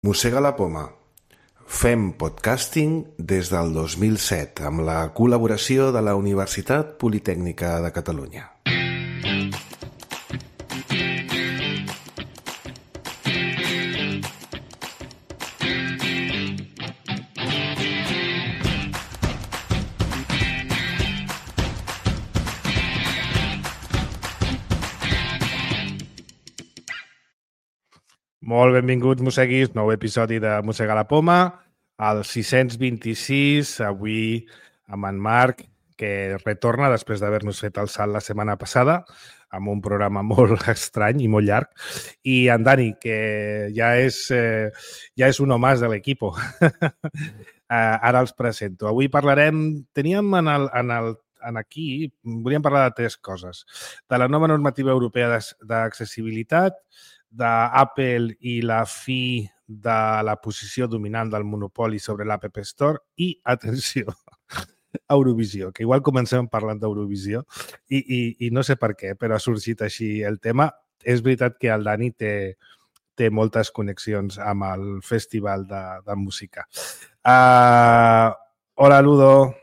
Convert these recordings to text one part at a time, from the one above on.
Mossega la poma. Fem podcasting des del 2007 amb la col·laboració de la Universitat Politècnica de Catalunya. Molt benvinguts, mosseguis, nou episodi de Mossega la poma, el 626, avui amb en Marc, que retorna després d'haver-nos fet el salt la setmana passada, amb un programa molt estrany i molt llarg, i en Dani, que ja és un home de l'equip. Ara els presento. Avui parlarem, aquí, volíem parlar de tres coses. De la nova normativa europea d'accessibilitat, d'Apple i la fi de la posició dominant del monopoli sobre l'App Store i, atenció, Eurovisió, que igual comencem parlant d'Eurovisió i no sé per què, però ha sorgit així el tema. És veritat que el Dani té moltes connexions amb el festival de música. Hola, Ludo.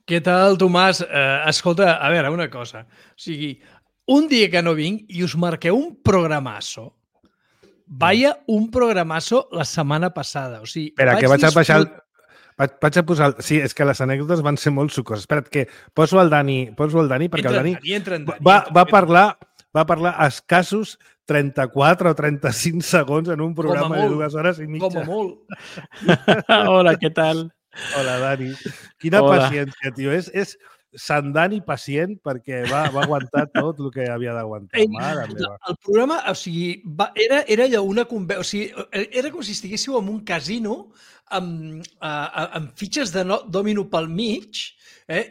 Què tal, Tomàs? Escolta, a veure, una cosa. O sigui, un dia que no vinc i us marqueu un programasso. Vaya un programasso la setmana passada. O sigui, espera, que vaig a posar... Sí, és que les anècdotes van ser molt sucoses. Espera't, que poso el Dani perquè el Dani va parlar escassos 34 o 35 segons en un programa de 2 hores i mitja. Com a molt. Hola, què tal? Hola, Dani. Quina paciència, tio. És Sant Dani pacient perquè va aguantar tot el que havia d'aguantar. El programa, o sigui, era allò una conversa, o sigui, era com si estiguéssiu en un casino amb fitxes de dòmino pel mig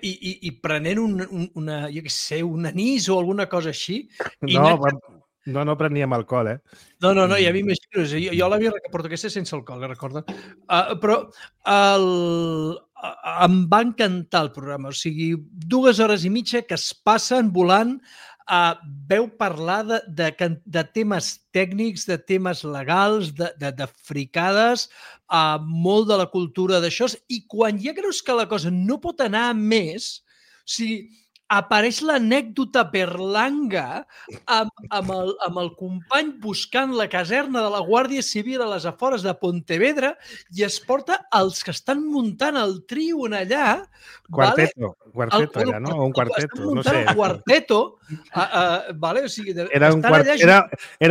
i prenent jo què sé, un anís o alguna cosa així. No preníem alcohol, No, ja m'imagino. Jo l'havia portat aquesta sense alcohol, recorda. Però em va encantar el programa. O sigui, 2 hores i mitja que es passen volant. Veu parlar de temes tècnics, de temes legals, de fricades, molt de la cultura d'això. I quan ja creus que la cosa no pot anar més, o sigui, apareix l'anècdota berlanga amb el company buscant la caserna de la Guàrdia Civil a les afores de Pontevedra i es porta els que estan muntant el trio allà. Quarteto era, no? O un quarteto, no sé. El quarteto, o sigui, era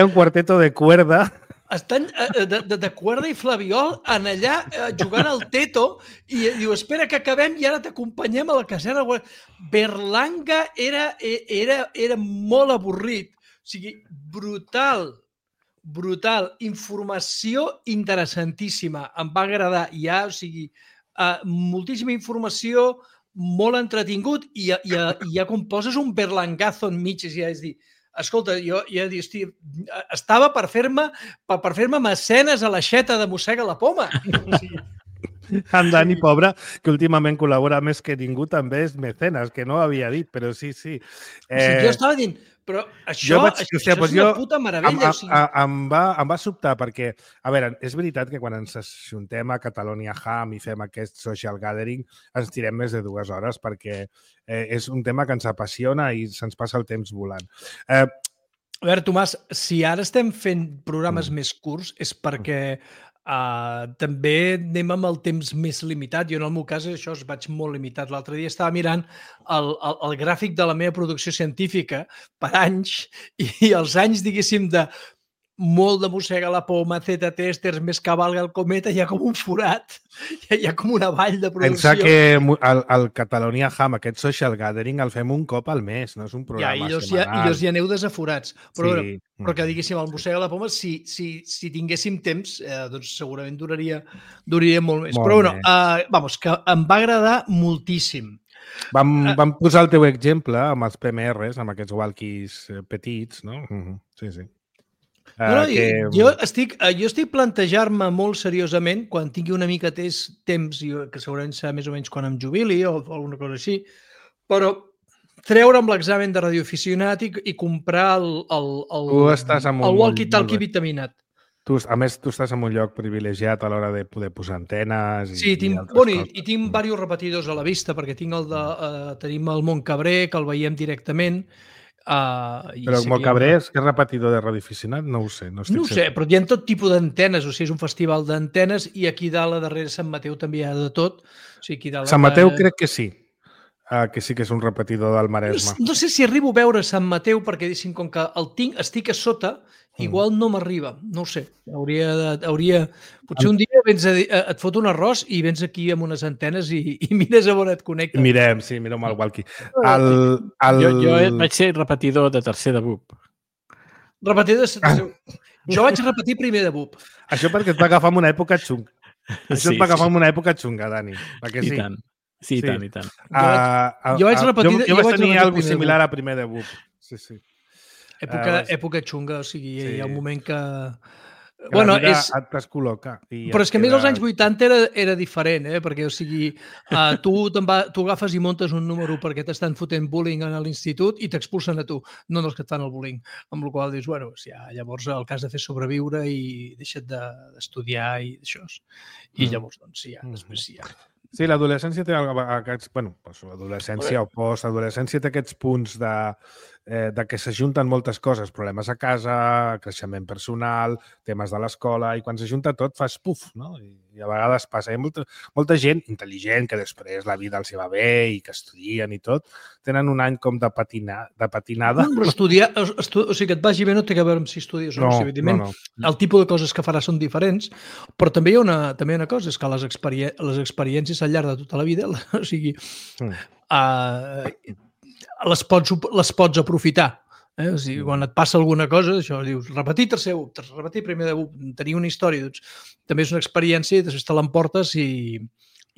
un quarteto de cuerda. Estan de cuerda i flabiol en allà jugant al teto i diu, espera que acabem i ara t'acompanyem a la caserna. Berlanga era molt avorrit. O sigui, brutal. Informació interessantíssima. Em va agradar. O sigui, moltíssima informació, molt entretingut i ja quan poses un berlangazo enmig, és dir, escolta, jo ja dic, estava per fer-me mecenes a l'aixeta de Mossega la poma. En Dani, pobre, que últimament col·labora més que ningú, també és mecenes, que no ho havia dit, però sí. Jo estava dient, però això és una puta meravella. Em va sobtar perquè, a veure, és veritat que quan ens ajuntem a Catalonia Ham i fem aquest social gathering ens tirem més de 2 hores perquè és un tema que ens apassiona i se'ns passa el temps volant. A veure, Tomàs, si ara estem fent programes més curts és perquè també anem amb el temps més limitat. Jo en el meu cas això es vaig molt limitat. L'altre dia estava mirant el gràfic de la meva producció científica per anys i els anys, diguéssim, de molt de Mossega la poma, Z-testers, més cavalga el cometa, hi ha com un forat, hi ha com una vall de producció. Pensa que el Catalonia Ham, aquest social gathering, el fem un cop al mes, no és un programa setmanal. I llavors hi aneu desaforats. Però que diguéssim, el Mossega la poma, si tinguéssim temps, doncs segurament duraria molt més. Però bueno, que em va agradar moltíssim. Vam posar el teu exemple amb els PMRs, amb aquests walkies petits, no? Sí. Jo estic plantejant-me molt seriosament, quan tingui una mica temps, que segurament serà més o menys quan em jubili o alguna cosa així, però treure'm l'examen de radioaficionat i comprar el walkie-talkie vitaminat. A més, tu estàs en un lloc privilegiat a l'hora de poder posar antenes Sí, i altres coses. i tinc diversos repetidors a la vista, perquè tenim el Montcabré, que el veiem directament. Però el Montcabré és repetidor de radioaficionat? No ho sé. No ho sé, però hi ha tot tipus d'antenes, o sigui, és un festival d'antenes i aquí dalt, a darrere Sant Mateu, també hi ha de tot. O sigui, aquí dalt, Sant Mateu crec que sí. Que sí que és un repetidor del Maresme. No sé si arribo a veure Sant Mateu, perquè com que estic a sota, igual no m'arriba. No ho sé. Potser un dia et fot un arròs i vens aquí amb unes antenes i mires a on et connectes. Mirem el walkie. Jo vaig ser repetidor de tercer de BUP. Repetidor de tercer. Jo vaig repetir primer de BUP. Això perquè et va agafar en una època xunga. Això et va agafar en una època xunga, Dani. Perquè sí. I tant. Sí, i tant, i tant. Jo vaig repetir... Jo vaig tenir alguna similar a primer de BUP. Sí. Època xunga, o sigui, hi ha un moment que... Bueno, et descol·loca. Però és que a més als anys 80 era diferent, perquè, o sigui, tu agafes i montes un número perquè t'estan fotent bullying a l'institut i t'expulsen a tu, no els que et fan el bullying. Amb la qual cosa dius, bueno, llavors el que has de fer és sobreviure i deixa't d'estudiar i d'això. I llavors, doncs, després sí, Sí, l'adolescència té aquests... Bueno, l'adolescència o postadolescència té aquests punts de que s'ajunten moltes coses, problemes a casa, creixement personal, temes de l'escola, i quan s'ajunta tot fas puf, no? I a vegades passa. Hi ha molta gent intel·ligent que després la vida els va bé i que estudien i tot, tenen un any com de patinada. No, però estudiar, o sigui, que et vagi bé no té a veure amb si estudies o no. O sigui, evidentment, el tipus de coses que faràs són diferents, però també hi ha una cosa, és que les experiències al llarg de tota la vida, o sigui, les pots aprofitar. O sigui, quan et passa alguna cosa, això dius, repetir tercer BUP, repetir primer de BUP, tenir una història, doncs, també és una experiència i després te l'emportes i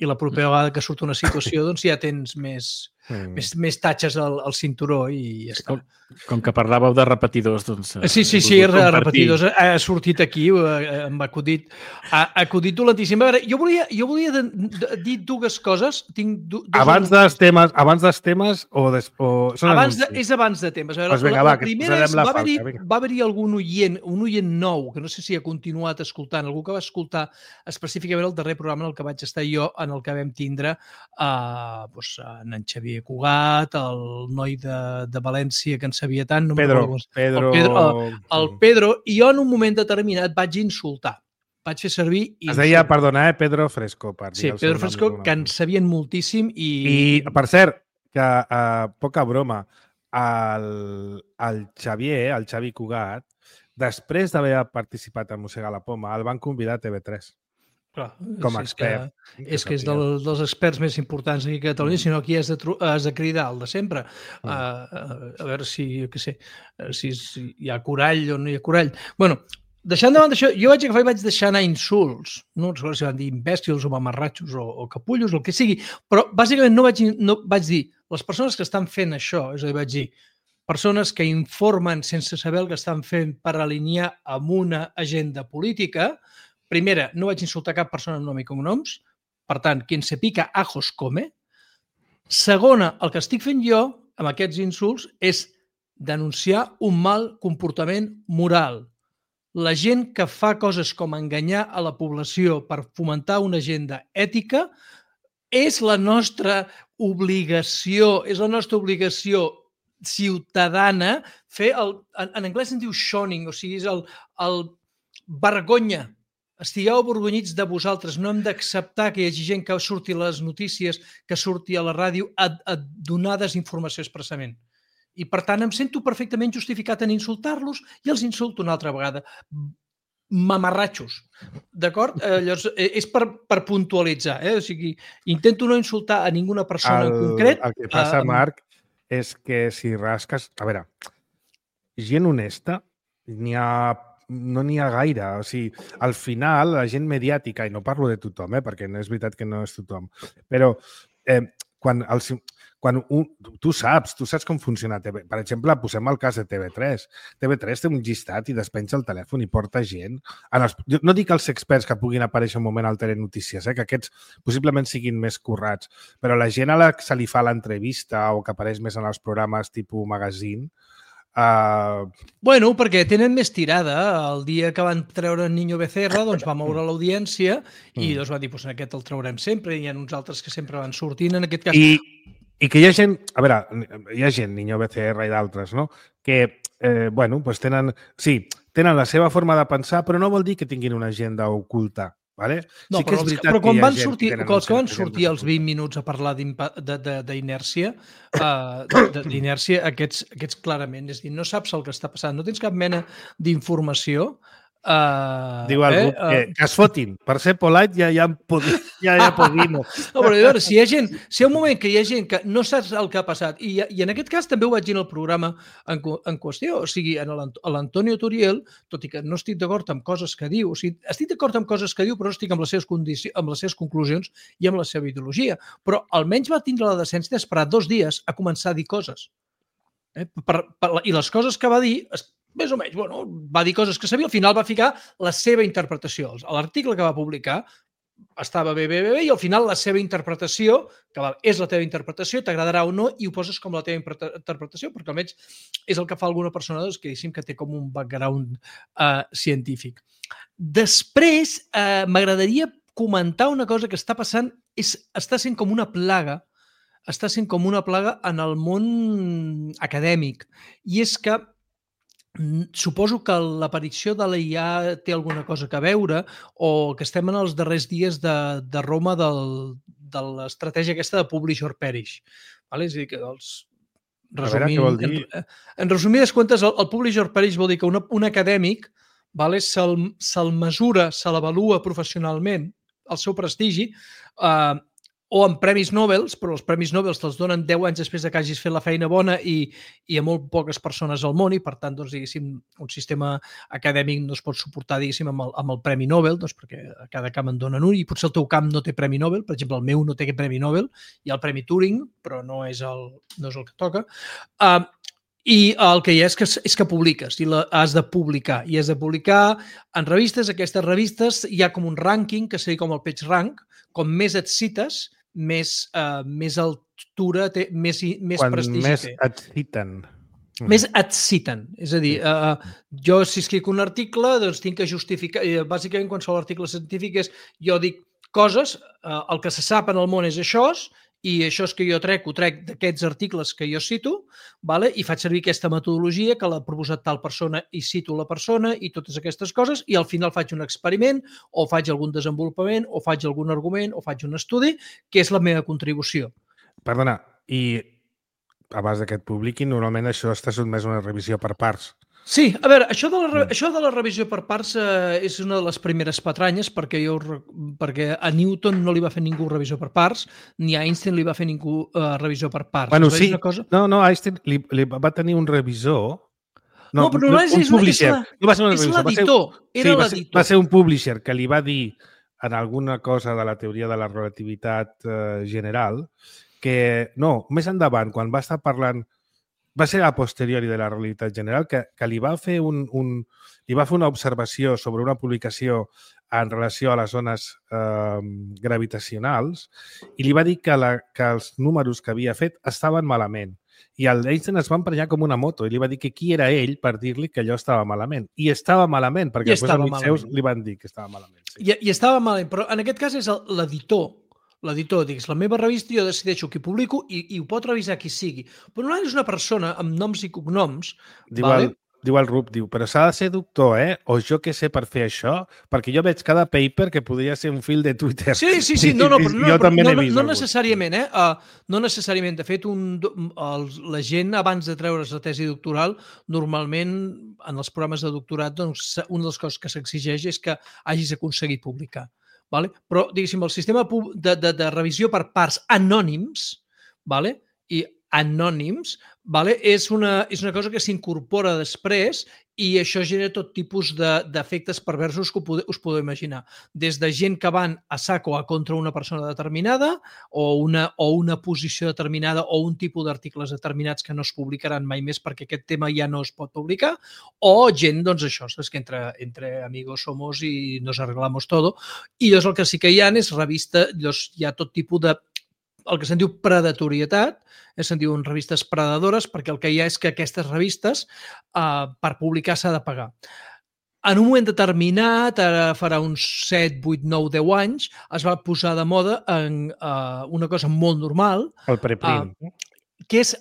la propera vegada que surt una situació, doncs ja tens més tatxes al cinturó i ja està. Com que parlàveu de repetidors, doncs... Sí, repetidors. Ha sortit aquí, em va acudit. Ha acudit dolentíssim. A veure, jo volia dir dues coses. Abans dels temes o... És abans de temes. La primera és, va haver-hi algun oient nou, que no sé si ha continuat escoltant, algú que va escoltar específicament el darrer programa en el que vaig estar jo, en el que vam tindre en Xavier Cugat, el noi de València que en sabia tant. El Pedro, i jo en un moment determinat vaig insultar. Vaig fer servir... Es deia, perdona, Pedro Fresco. Sí, Pedro Fresco, que en sabien moltíssim i per cert, que poca broma, el Xavi Cugat, després d'haver participat a Mossegar la Poma, el van convidar a TV3. Clar, com a expert. És que és dels experts més importants aquí a Catalunya, sinó aquí has de cridar el de sempre. A veure si hi ha corall o no hi ha corall. Bueno, deixant davant d'això, jo vaig agafar i vaig deixar anar insults. No recordo si van dir imbècils o mamarratxos o capullos, el que sigui, però bàsicament no vaig dir les persones que estan fent això, és a dir, vaig dir persones que informen sense saber el que estan fent per alinear amb una agenda política. Primera, no vaig insultar cap persona amb nom i cognoms. Per tant, quien se pica ajos come. Segona, el que estic fent jo amb aquests insults és denunciar un mal comportament moral. La gent que fa coses com enganyar a la població per fomentar una agenda ètica és la nostra obligació ciutadana fer en anglès en diu shunning, o sigui, és el vergonya. Estigueu avergonyits de vosaltres. No hem d'acceptar que hi hagi gent que surti a les notícies, que surti a la ràdio a donar desinformació expressament. I, per tant, em sento perfectament justificat en insultar-los i els insulto una altra vegada. Mamarratxos. D'acord? Llavors, és per puntualitzar. O sigui, intento no insultar a ninguna persona en concret. El que passa, Marc, és que si rasques... A veure, gent honesta no n'hi ha gaire. O sigui, al final, la gent mediàtica, i no parlo de tothom, perquè no és veritat que no és tothom, però quan tu saps com funciona TV. Per exemple, posem el cas de TV3. TV3 té un llistat i despenja el telèfon i porta gent. No dic els experts que puguin aparèixer un moment al Telenotícies, que aquests possiblement siguin més currats, però la gent a la que se li fa l'entrevista o que apareix més en els programes tipus magazine, Bueno, perquè tenen més tirada. El dia que van treure el Niño Becerra, doncs va moure l'audiència i doncs va dir, doncs aquest el traurem sempre, i hi ha uns altres que sempre van sortint, en aquest cas. I que hi ha gent, a veure, hi ha gent, Niño Becerra i d'altres, no?, que, bueno, doncs tenen la seva forma de pensar, però no vol dir que tinguin una agenda oculta. Vale? No, sí que però quan van sortir, els que van sortir als 20 minuts a parlar d'inèrcia, aquests clarament, és a dir, no saps el que està passant, no tens cap mena d'informació. Diu algú que es fotin, per ser polite ja hi ha podino. No, però a veure, si hi ha un moment que hi ha gent que no saps el que ha passat, i en aquest cas també ho vaig dir en el programa en qüestió, o sigui, l'Antonio Turiel, tot i que no estic d'acord amb coses que diu, o sigui, estic d'acord amb coses que diu, però no estic amb les seves conclusions i amb la seva ideologia, però almenys va tindre la decència d'esperar 2 dies a començar a dir coses. I les coses que va dir, més o menys, bueno, va dir coses que sabia, al final va ficar la seva interpretació. L'article que va publicar estava bé, i al final la seva interpretació, que és la teva interpretació, t'agradarà o no, i ho poses com la teva interpretació, perquè almenys és el que fa alguna persona que té com un background científic. Després, m'agradaria comentar una cosa que està passant, està sent com una plaga en el món acadèmic, i és que suposo que l'aparició de la IA té alguna cosa a veure, o que estem en els darrers dies de Roma de l'estratègia aquesta de Publish or Perish. És a dir, que en resumides comptes, el Publish or Perish vol dir que un acadèmic se'l mesura, se l'avalua professionalment, el seu prestigi, o amb premis Nobel, però els premis Nobel te'ls donen 10 anys després que hagis fet la feina bona i a molt poques persones al món, i per tant, diguéssim, un sistema acadèmic no es pot suportar, diguéssim, amb el premi Nobel, perquè a cada camp en donen un, i potser el teu camp no té premi Nobel, per exemple, el meu no té aquest premi Nobel, hi ha el premi Turing, però no és el que toca. I el que hi ha és que publiques, i has de publicar, en revistes. Aquestes revistes hi ha com un rànquing, que seria com el PageRank, com més et cites, més altura té, més prestigi té. Més et citen. És a dir, jo si escric un article, doncs tinc que justificar, bàsicament qualsevol article científic és, jo dic coses, el que se sap en el món és això, i això és que jo trec d'aquests articles que jo cito, i faig servir aquesta metodologia que l'ha proposat tal persona i cito la persona i totes aquestes coses, i al final faig un experiment o faig algun desenvolupament o faig algun argument o faig un estudi, que és la meva contribució. Perdona, i abans que et publiquin, normalment això està sotmès a una revisió per parts. Sí, a veure, això de la revisió per parts és una de les primeres patranyes, perquè a Newton no li va fer ningú revisió per parts, ni a Einstein li va fer ningú revisió per parts. Bueno, sí. No, Einstein li va tenir un revisor. No, però no és publisher. No va ser un revisor. És l'editor. Va ser un publisher que li va dir en alguna cosa de la teoria de la relativitat general que, no, més endavant, quan va estar parlant, va ser a posteriori de la realitat general, que li va fer una observació sobre una publicació en relació a les zones gravitacionals i li va dir que els números que havia fet estaven malament. I el Einstein es va emprenyar com una moto i li va dir que qui era ell per dir-li que allò estava malament. I estava malament, perquè després amics seus li van dir que estava malament. Sí. I estava malament, però en aquest cas és l'editor. L'editor, digues, la meva revista jo decideixo qui publico i ho pot revisar qui sigui. Però no és una persona amb noms i cognoms. Diu el Rup, però s'ha de ser doctor, o jo què sé per fer això, perquè jo veig cada paper que podria ser un fil de Twitter. Sí, no necessàriament, no necessàriament. De fet, la gent, abans de treure's la tesi doctoral, normalment, en els programes de doctorat, doncs, una de les coses que s'exigeix és que hagis aconseguit publicar. Però, diguéssim, el sistema de revisió per parts anònims, i anònims, és una cosa que s'incorpora després i això genera tot tipus d'efectes perversos que us podeu imaginar. Des de gent que van a saco a contra una persona determinada o una posició determinada o un tipus d'articles determinats que no es publicaran mai més perquè aquest tema ja no es pot publicar, o gent, doncs això, és que entre amigos somos i nos arreglamos todo. I llavors el que sí que hi ha és revista, hi ha tot tipus de el que se'n diu predatorietat, se'n diuen revistes predadores, perquè el que hi ha és que aquestes revistes, per publicar s'ha de pagar. En un moment determinat, ara farà uns 7, 8, 9, 10 anys, es va posar de moda en una cosa molt normal. El preprint. Que és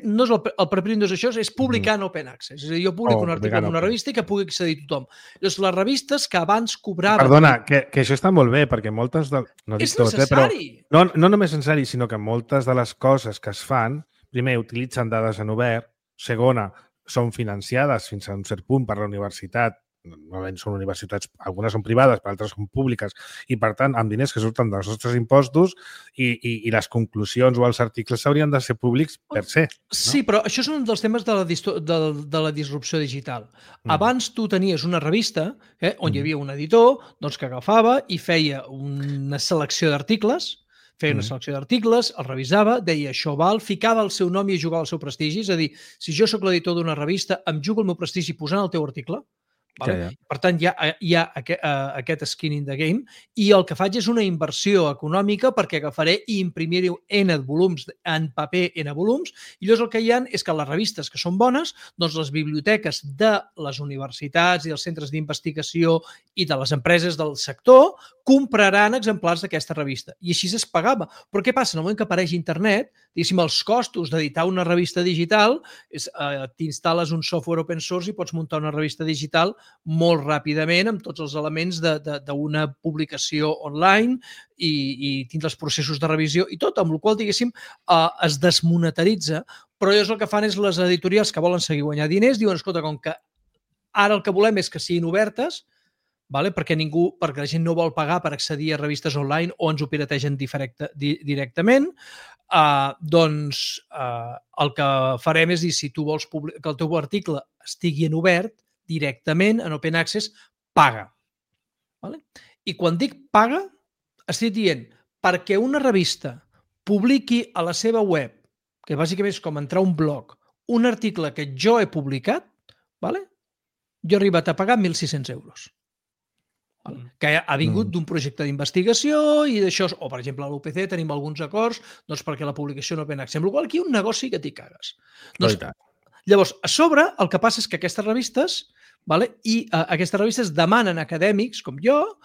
no és el preprint, no és això, és publicar en open access. És a dir, jo publico un article en una revista i que pugui accedir tothom. Llavors, les revistes que abans cobraven... Perdona, que això està molt bé, perquè moltes de... No és necessari! Però no només necessari, sinó que moltes de les coses que es fan, primer, utilitzen dades en obert, segona, són financiades fins a un cert punt per la universitat, normalment són universitats, algunes són privades, per altres són públiques, i per tant, amb diners que surten dels nostres impostos i les conclusions o els articles s'haurien de ser públics per se. No? Sí, però això és un dels temes de la disrupció digital. Abans tu tenies una revista on hi havia un editor que agafava i feia una selecció d'articles, el revisava, deia això val, ficava el seu nom i jugava el seu prestigi. És a dir, si jo sóc l'editor d'una revista, em jugo el meu prestigi posant el teu article. Vale? Ja. Per tant, hi ha aquest skin in the game i el que faig és una inversió econòmica perquè agafaré i imprimiré N volums en paper, N volums, i llavors el que hi ha és que les revistes que són bones, doncs les biblioteques de les universitats i els centres d'investigació i de les empreses del sector compraran exemplars d'aquesta revista. I així es pagava. Però què passa? En el moment que apareix internet, diguéssim, els costos d'editar una revista digital, t'instal·les un software open source i pots muntar una revista digital molt ràpidament amb tots els elements d'una publicació online i tindre els processos de revisió i tot, amb la qual cosa, diguéssim, es desmonetaritza. Però llavors el que fan és les editorials que volen seguir guanyar diners, diuen, escolta, com que ara el que volem és que siguin obertes, perquè la gent no vol pagar per accedir a revistes online o ens ho pirategen directament, doncs el que farem és dir, si tu vols que el teu article estigui en obert, directament, en open access, paga. I quan dic paga, estic dient perquè una revista publiqui a la seva web, que bàsicament és com entrar a un blog, un article que jo he publicat, jo he arribat a pagar 1.600 euros. Que ha vingut d'un projecte d'investigació i d'això, o per exemple a l'UPC tenim alguns acords perquè la publicació no ven accés, amb la qual cosa aquí hi ha un negoci que t'hi cagues. Llavors, a sobre, el que passa és que aquestes revistes demanen a acadèmics com jo,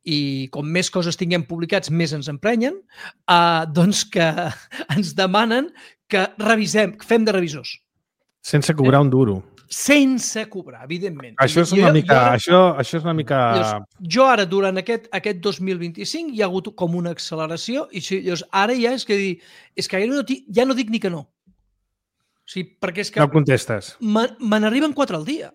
i com més coses tinguem publicats, més ens emprenyen, doncs que ens demanen que revisem, que fem de revisors. Sense cobrar un duro. Sense cobrar, evidentment. Això és una mica... Jo ara, durant aquest 2025, hi ha hagut com una acceleració i ara ja és que ja no dic ni que no. Perquè és que... No contestes. Me n'arriben 4 al dia.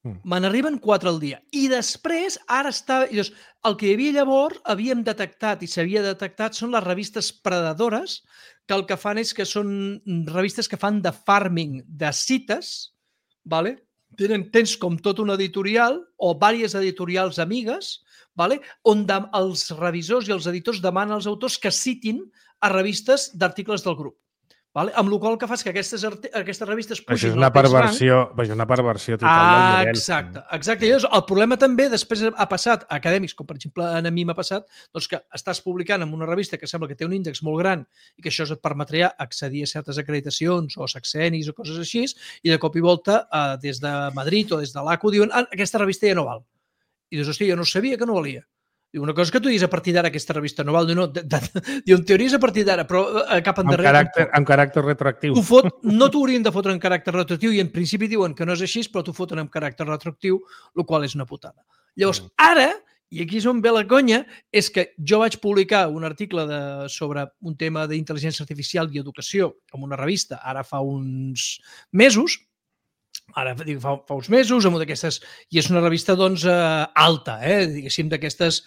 Me n'arriben 4 al dia. I després, ara està... El que hi havia llavors, havíem detectat i s'havia detectat són les revistes predadores, que el que fan és que són revistes que fan de farming de cites, tens com tot un editorial o diverses editorials amigues, on els revisors i els editors demanen als autors que citin a revistes d'articles del grup. Amb la qual cosa el que fa és que aquestes revistes pugin... Això és una perversió total del model. Exacte. I el problema també després ha passat a acadèmics, com per exemple a mi m'ha passat, que estàs publicant en una revista que sembla que té un índex molt gran i que això et permetria accedir a certes acreditacions o sexenis o coses així, i de cop i volta des de Madrid o des de l'ACU diuen aquesta revista ja no val. I dius, hòstia, jo no sabia que no valia. Diu, una cosa que tu diguis a partir d'ara aquesta revista no val, diu, en teoria és a partir d'ara, però cap endarrere... Amb caràcter retroactiu. No t'ho haurien de fotre en caràcter retroactiu i en principi diuen que no és així, però t'ho foten en caràcter retroactiu, el qual és una putada. Llavors, ara, i aquí és on ve la conya, és que jo vaig publicar un article sobre un tema d'intel·ligència artificial i educació en una revista, ara fa uns mesos, fa uns mesos, amb d'aquestes, i és una revista alta, diguéssim, d'aquestes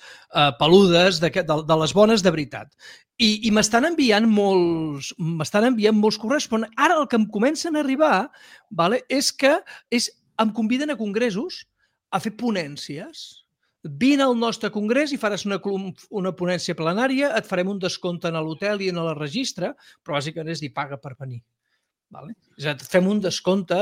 peludes, de les bones de veritat. I m'estan enviant molts correus, però ara el que em comencen a arribar és que em conviden a congressos a fer ponències. Vine al nostre congrés i faràs una ponència plenària, et farem un descompte en l'hotel i en el registre, però bàsicament és dir, paga per venir. És a dir, fem un descompte,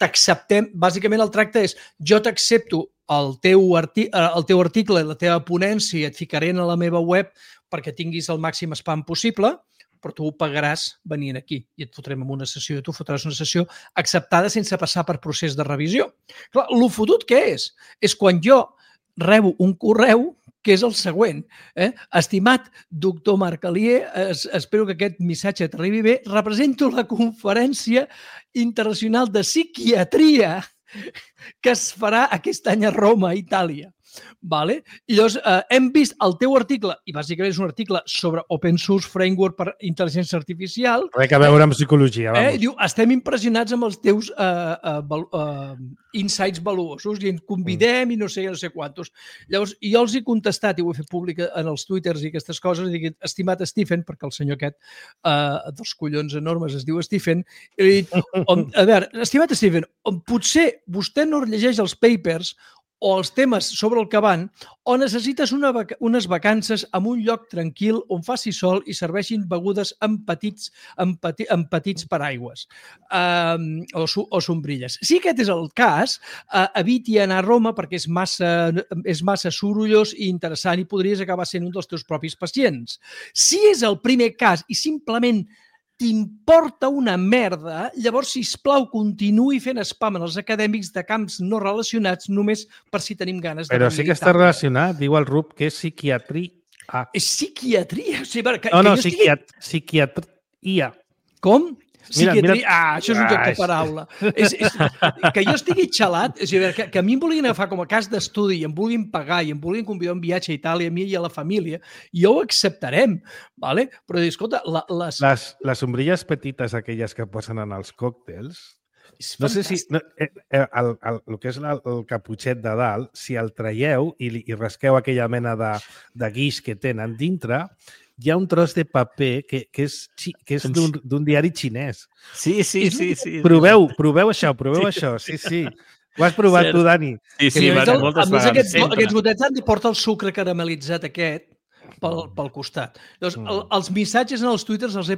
t'acceptem, bàsicament el tracte és jo t'accepto el teu article, la teva ponència, et ficaré a la meva web perquè tinguis el màxim spam possible, però tu ho pagaràs venint aquí i et fotrem en una sessió i tu fotràs una sessió acceptada sense passar per procés de revisió. Clar, el fotut què és? És quan jo rebo un correu que és el següent. Estimat doctor Marc Alier, espero que aquest missatge t'arribi bé. Represento la Conferència Internacional de Psiquiatria que es farà aquest any a Roma, Itàlia. Vale? I llavors hem vist el teu article, i bàsicament és un article sobre Open Source Framework per Intel·ligència Artificial. Res a veure amb psicologia, vamos. Diu, estem impressionats amb els teus insights valuosos i ens convidem i no sé quantos. Llavors, jo els he contestat i ho he fet públic en els twitters i aquestes coses, i dic, estimat Stephen, perquè el senyor aquest dels collons enormes es diu Stephen, i he dit, a veure, estimat Stephen, potser vostè no llegeix els papers o els temes sobre el que van, o necessites unes vacances en un lloc tranquil on faci sol i serveixin begudes en petits paraigües o sombrilles. Si aquest és el cas, eviti anar a Roma perquè és massa sorollós i interessant i podries acabar sent un dels teus propis pacients. Si és el primer cas i simplement t'importa una merda, llavors, sisplau, continuï fent spam en els acadèmics de camps no relacionats només per si tenim ganes de... Però sí que està relacionat, diu el Rup, que és psiquiatria. És psiquiatria? O sigui, psiquiatria. Com? Mira. Això és un joc de paraula. Que jo estigui xalat, és a dir, que a mi em vulguin agafar com a cas d'estudi i em vulguin pagar i em vulguin convidar un viatge a Itàlia, a mi i a la família, jo ho acceptarem, ¿vale? Però, escolta, les ombrilles petites, aquelles que posen en els còctels, no sé si el que és el caputxet de dalt, si el traieu i rasqueu aquella mena de guix que tenen dintre, hi ha un tros de paper que és d'un diari xinès. Sí. Proveu això, sí. Ho has provat tu, Dani? Sí, moltes vegades. Aquests gotets han de portar el sucre caramel·litzat aquest pel costat. Llavors, els missatges en els twitters els he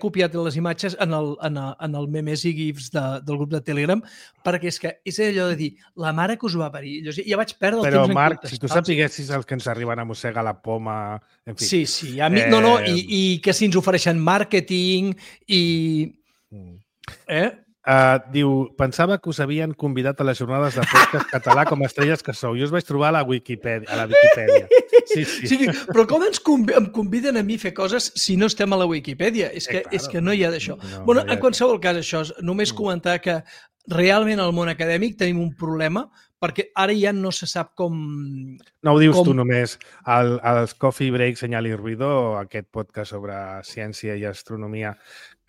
copiat les imatges en el memes i gifs del grup de Telegram, perquè és allò de dir, la mare que us va parir. Llavors, ja vaig perdre el temps en Marc, contestar. si tu sapiguessis els que ens arriben a mossegar la poma... En fi. Sí. I que si ens ofereixen màrqueting i... Diu, pensava que us havien convidat a les jornades de podcast català com a estrelles que sou. Jo us vaig trobar a la Wikipedia. Sí. Però com em conviden a mi a fer coses si no estem a la Wikipedia? És que no hi ha d'això. En qualsevol cas, això és només comentar que realment al món acadèmic tenim un problema perquè ara ja no se sap com... No ho dius tu només. Els Coffee Break, Senyal i Ruido, aquest podcast sobre ciència i astronomia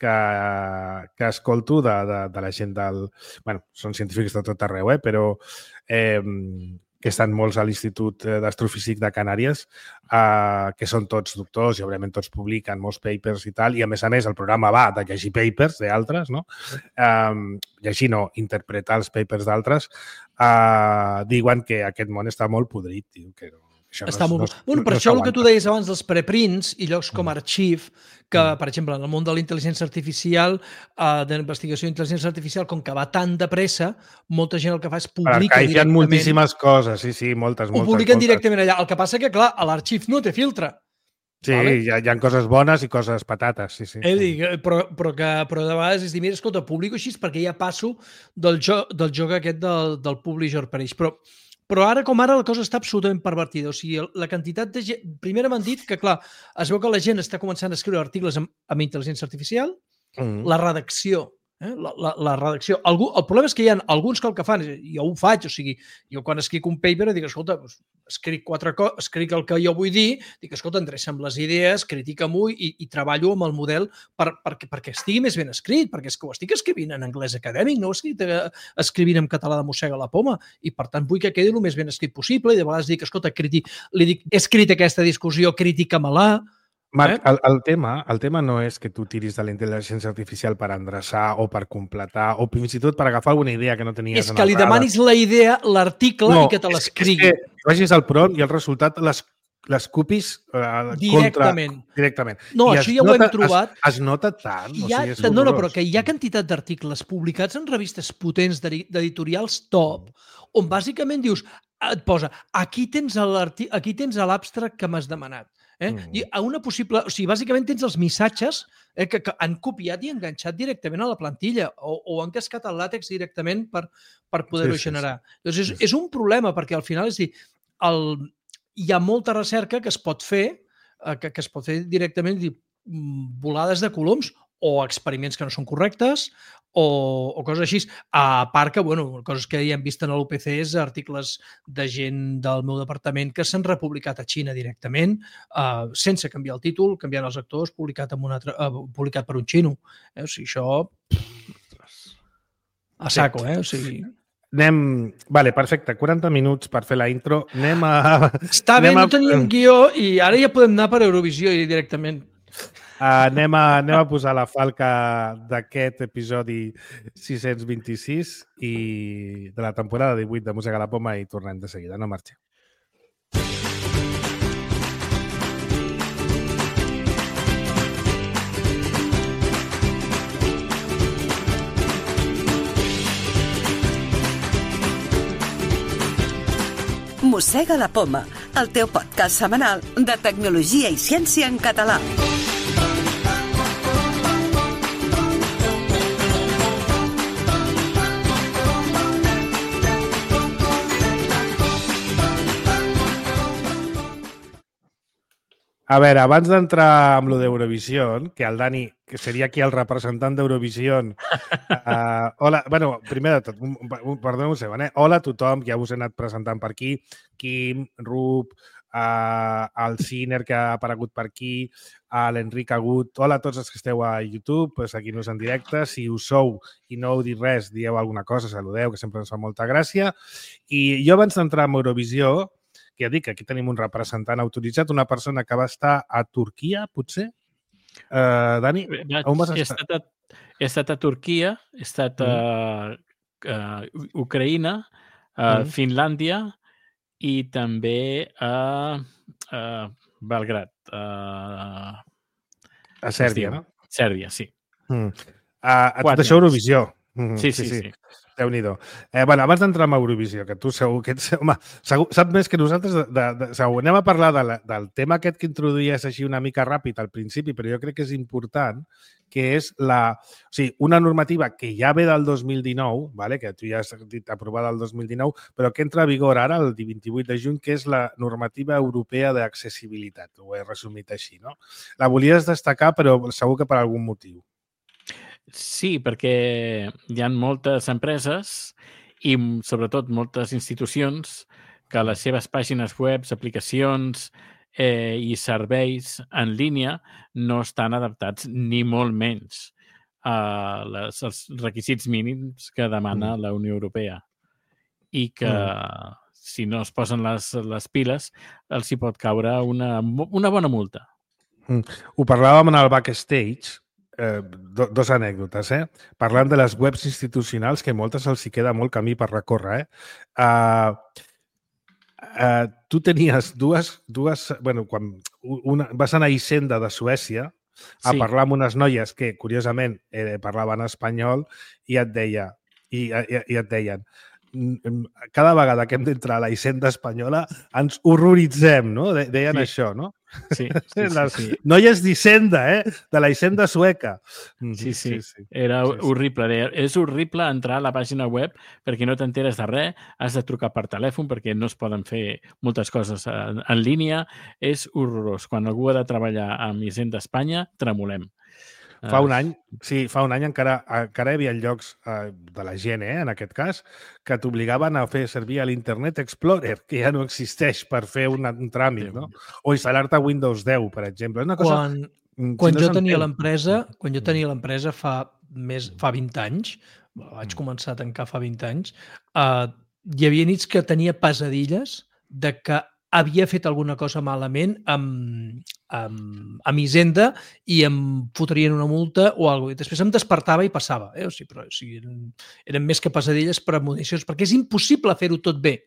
que escolto de la gent del... Bueno, són científics de tot arreu, però que estan molts a l'Institut d'Astrofísic de Canàries, que són tots doctors i, òbviament, tots publiquen molts papers i tal, i, a més, el programa va de llegir papers d'altres, no? Llegir no, interpretar els papers d'altres, diuen que aquest món està molt podrit, tio, que per això el que tu deies abans dels preprints i llocs com Arxiv, que, per exemple, en el món de la intel·ligència artificial, de la investigació d'intel·ligència artificial, com que va tan de pressa, molta gent el que fa és publicar directament... Hi ha moltíssimes coses, sí, moltes. Ho publiquen directament allà. El que passa que, clar, a l'Arxiv no té filtre. Sí, vale? Hi ha coses bones i coses patates, sí. Però de vegades és dir, mira, escolta, publico així perquè ja passo del joc aquest del publisher per ells. Però ara com ara la cosa està absolutament pervertida. O sigui, la quantitat de gent... Primer m'han dit que, clar, es veu que la gent està començant a escriure articles amb intel·ligència artificial, la redacció. La redacció. El problema és que hi ha alguns que el que fan, jo ho faig, o sigui, jo quan escric un paper dic, escolta, escric el que jo vull dir, dic, escolta, endreça'm les idees, critica-m'ho i treballo amb el model perquè estigui més ben escrit, perquè és que ho estic escrivint en anglès acadèmic, no ho estic escrivint en català de mossega la poma, i per tant vull que quedi el més ben escrit possible, i de vegades dic, escolta, li dic, he escrit aquesta discussió, critica-me-la. Marc, el tema no és que tu tiris de la intel·ligència artificial per endreçar o per completar o fins i tot per agafar alguna idea que no tenies. És que li demanis la idea, l'article i que te l'escrigui. És que vagis al prompt i el resultat les copies directament. No, això ja ho hem trobat. Es nota tant. No, però que hi ha quantitat d'articles publicats en revistes potents d'editorials top on bàsicament dius, et posa, aquí tens l'abstract que m'has demanat. I a una possible... O sigui, bàsicament tens els missatges que han copiat i enganxat directament a la plantilla o han cascat el làtex directament per poder-ho generar. Doncs és un problema, perquè al final, és dir, hi ha molta recerca que es pot fer, que es pot fer directament, volades de coloms o experiments que no són correctes o coses així. A part que, coses que ja hem vist en l'UPC és articles de gent del meu departament que s'han republicat a Xina directament, sense canviar el títol, canviant els actors, publicat per un xino. O sigui, això... A saco, O sigui... Vale, perfecte. 40 minuts per fer la intro. Està bé, no teníem guió i ara ja podem anar per Eurovisió directament. Anem a posar la falca d'aquest episodi 626 i de la temporada 18 de Mossega la Poma i tornem de seguida. No marxeu. Mossega la Poma, el teu podcast setmanal de tecnologia i ciència en català. A veure, abans d'entrar amb lo d'Eurovisió, que el Dani, que seria aquí el representant d'Eurovisió, hola, primer de tot, perdoneu un segon, hola a tothom, ja us he anat presentant per aquí, Quim, Rup, el Ciner, que ha aparegut per aquí, l'Enric Agut, hola a tots els que esteu a YouTube, seguint-nos en directe, si us sou i no heu dit res, dieu alguna cosa, saludeu, que sempre ens fa molta gràcia, i jo abans d'entrar en Eurovisió, que ja dic que aquí tenim un representant autoritzat, una persona que va estar a Turquia, potser? Dani, on vas estar? He estat a Turquia, he estat a Ucraïna, a Finlàndia i també a Belgrad. A Sèrbia, no? Sèrbia, sí. A tot això Eurovisió. Sí. Déu-n'hi-do. Abans d'entrar en Eurovisió, que tu segur que saps més que nosaltres, segur. Anem a parlar del tema aquest que introduïes així una mica ràpid al principi, però jo crec que és important, que és una normativa que ja ve del 2019, que tu ja has dit aprovada el 2019, però que entra a vigor ara, el 28 de juny, que és la normativa europea d'accessibilitat. Ho he resumit així, no? La volies destacar, però segur que per algun motiu. Sí, perquè hi ha moltes empreses i sobretot moltes institucions que les seves pàgines web, aplicacions i serveis en línia no estan adaptats ni molt menys als requisits mínims que demana la Unió Europea i que si no es posen les piles els hi pot caure una bona multa. Ho parlàvem en el backstage, dos anècdotes, parlant de les webs institucionals, que moltes els hi queda molt camí per recórrer. Tu tenies dues... quan vas anar a Hisenda de Suècia a parlar amb unes noies que, curiosament, parlaven espanyol i et deien cada vegada que hem d'entrar a la Hisenda espanyola ens horroritzem, no? Deien això, no? Sí. Noies d'Hisenda, de la Hisenda sueca. Sí. Era horrible. És horrible entrar a la pàgina web perquè no t'enteres de res, has de trucar per telèfon perquè no es poden fer moltes coses en línia. És horrorós. Quan algú ha de treballar amb Hisenda Espanya, tremolem. Fa un any encara hi havia llocs de la gent, en aquest cas, que t'obligaven a fer servir l'Internet Explorer, que ja no existeix per fer un tràmit, no? O instal·lar-te Windows 10, per exemple. És una cosa... Quan jo tenia l'empresa fa 20 anys, vaig començar a tancar fa 20 anys, hi havia nits que tenia pesadilles de que havia fet alguna cosa malament amb Hisenda i em fotrien una multa o alguna cosa. Després em despertava i passava. Però eren més que pesadilles per municions, perquè és impossible fer-ho tot bé.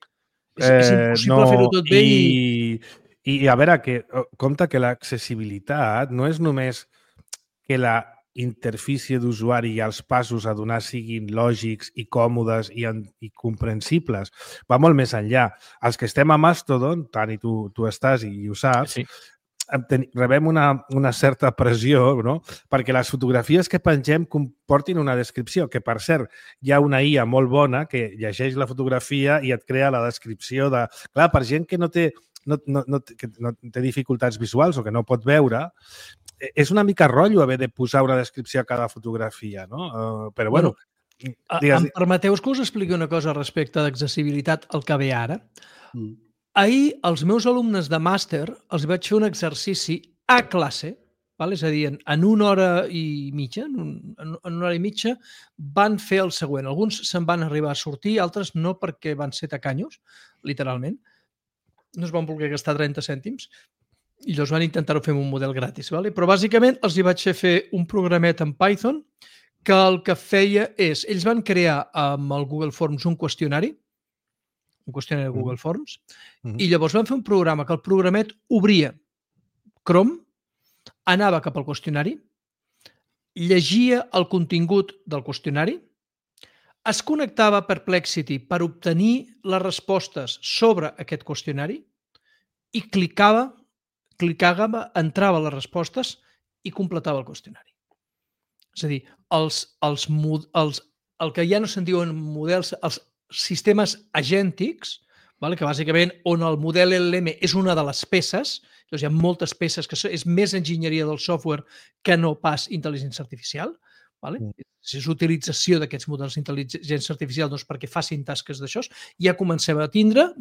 És impossible fer-ho tot bé i a veure, compte que l'accessibilitat no és només que la interfície d'usuari i els passos a donar siguin lògics i còmodes i comprensibles. Va molt més enllà. Els que estem a Mastodon, Tani, tu estàs i ho saps, rebem una certa pressió, no? Perquè les fotografies que pengem comportin una descripció, que per cert, hi ha una IA molt bona que llegeix la fotografia i et crea la descripció de... Clar, per gent que no té dificultats visuals o que no pot veure, és una mica rotllo haver de posar una descripció a cada fotografia, no? Però bueno... Em permeteu que us expliqui una cosa respecte d'accessibilitat al que ve ara? Ahir, als meus alumnes de màster els vaig fer un exercici a classe, és a dir, en una hora i mitja, van fer el següent. Alguns se'n van arribar a sortir, altres no, perquè van ser tacanyos, literalment. No es van voler gastar 30 cèntims i llavors van intentar-ho fer amb un model gratis. Però bàsicament els hi vaig fer un programet en Python que el que feia és, ells van crear amb el Google Forms un qüestionari de Google Forms, i llavors van fer un programa que el programet obria Chrome, anava cap al qüestionari, llegia el contingut del qüestionari, es connectava a Perplexity per obtenir les respostes sobre aquest qüestionari i clicava, entrava a les respostes i completava el qüestionari. És a dir, el que ja no se'n diuen models, els sistemes agèntics, que bàsicament on el model LLM és una de les peces, doncs hi ha moltes peces que és més enginyeria del software que no pas intel·ligència artificial, és utilització d'aquests models d'intel·ligència artificial perquè facin tasques d'això, ja comencem a tindre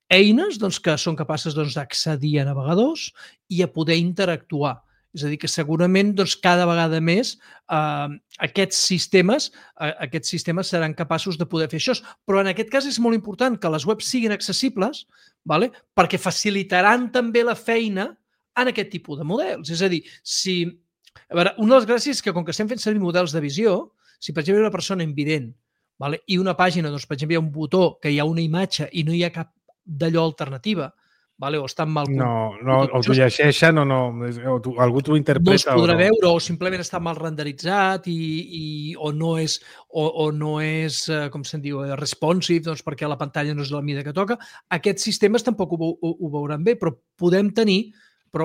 eines que són capaces d'accedir a navegadors i a poder interactuar. És a dir, que segurament cada vegada més aquests sistemes seran capaços de poder fer això. Però en aquest cas és molt important que les webs siguin accessibles perquè facilitaran també la feina en aquest tipus de models. És a dir, una de les gràcies és que com que estem fent servir models de visió, si per exemple hi ha una persona invident i una pàgina, per exemple, hi ha un botó que hi ha una imatge i no hi ha cap d'allò alternativa, o està mal... No, o t'ho llegeixen o algú t'ho interpreta. No es podrà veure o simplement està mal renderitzat o no és, com se'n diu, responsive, perquè la pantalla no és de la mida que toca. Aquests sistemes tampoc ho veuran bé, però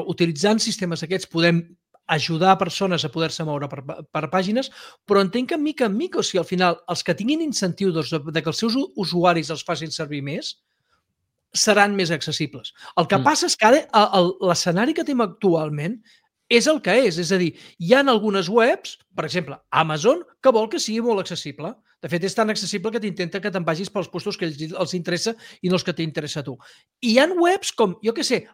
utilitzant sistemes aquests podem ajudar persones a poder-se moure per pàgines, però entenc que mica en mica, o sigui, al final, els que tinguin incentiu que els seus usuaris els facin servir més, seran més accessibles. El que passa és que l'escenari que tenim actualment és el que és. És a dir, hi ha algunes webs, per exemple, Amazon, que vol que sigui molt accessible. De fet, és tan accessible que t'intenta que te'n vagis pels puestos que els interessa i no els que t'interessa a tu. I hi ha webs com, jo què sé,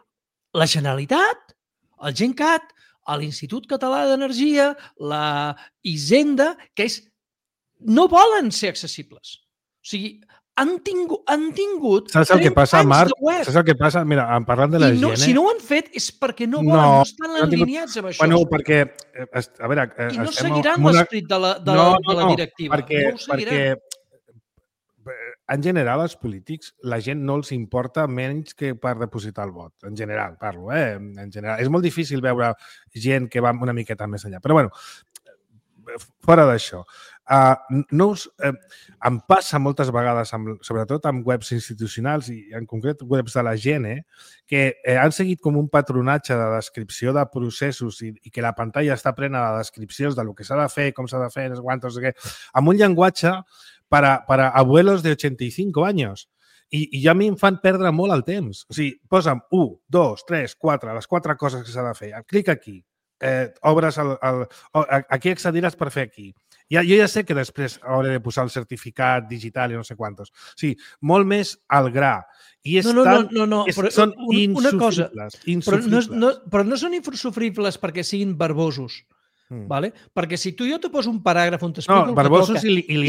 la Generalitat, el GenCat, l'Institut Català d'Energia, la Hisenda, que no volen ser accessibles. O sigui, han tingut saps el que passa, Marc? Saps el que passa? Mira, parlant de la gent... Si no ho han fet és perquè no volen, no estan alineats amb això. Bueno, perquè... A veure... I no seguiran l'esperit de la directiva. Perquè en general, els polítics, la gent no els importa menys que per depositar el vot. En general, parlo, En general. És molt difícil veure gent que va una miqueta més enllà. Però, bueno, fora d'això, em passa moltes vegades, sobretot amb webs institucionals i en concret webs de la gent, que han seguit com un patronatge de descripció de processos i que la pantalla està plena de descripcions de lo que s'ha de fer, com s'ha de fer, no sé què, amb un llenguatge para abuelos de 85 anys. I ja a mi em fan perdre molt el temps. O sigui, posa'm 1, 2, 3, 4, les 4 coses que s'ha de fer. Clic aquí. Obres aquí accediràs per fer aquí. Jo ja sé que després hauré de posar el certificat digital i no sé quantos. O sigui, molt més al gra. I són insufribles. Però no són insufribles perquè siguin verbosos. Perquè si tu jo te poso un paràgraf on t'explico el que toca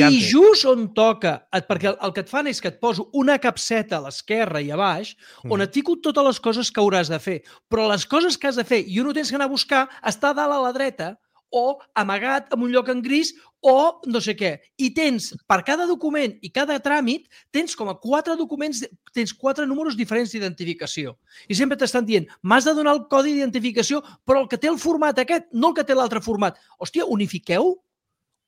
i just on toca, perquè el que et fan és que et poso una capseta a l'esquerra i a baix on et fico totes les coses que hauràs de fer, però les coses que has de fer i on ho tens que anar a buscar està dalt a la dreta o amagat en un lloc en gris o no sé què. I tens, per cada document i cada tràmit, tens com a 4 documents, tens 4 números diferents d'identificació. I sempre t'estan dient, m'has de donar el codi d'identificació, però el que té el format aquest, no el que té l'altre format. Hòstia, unifiqueu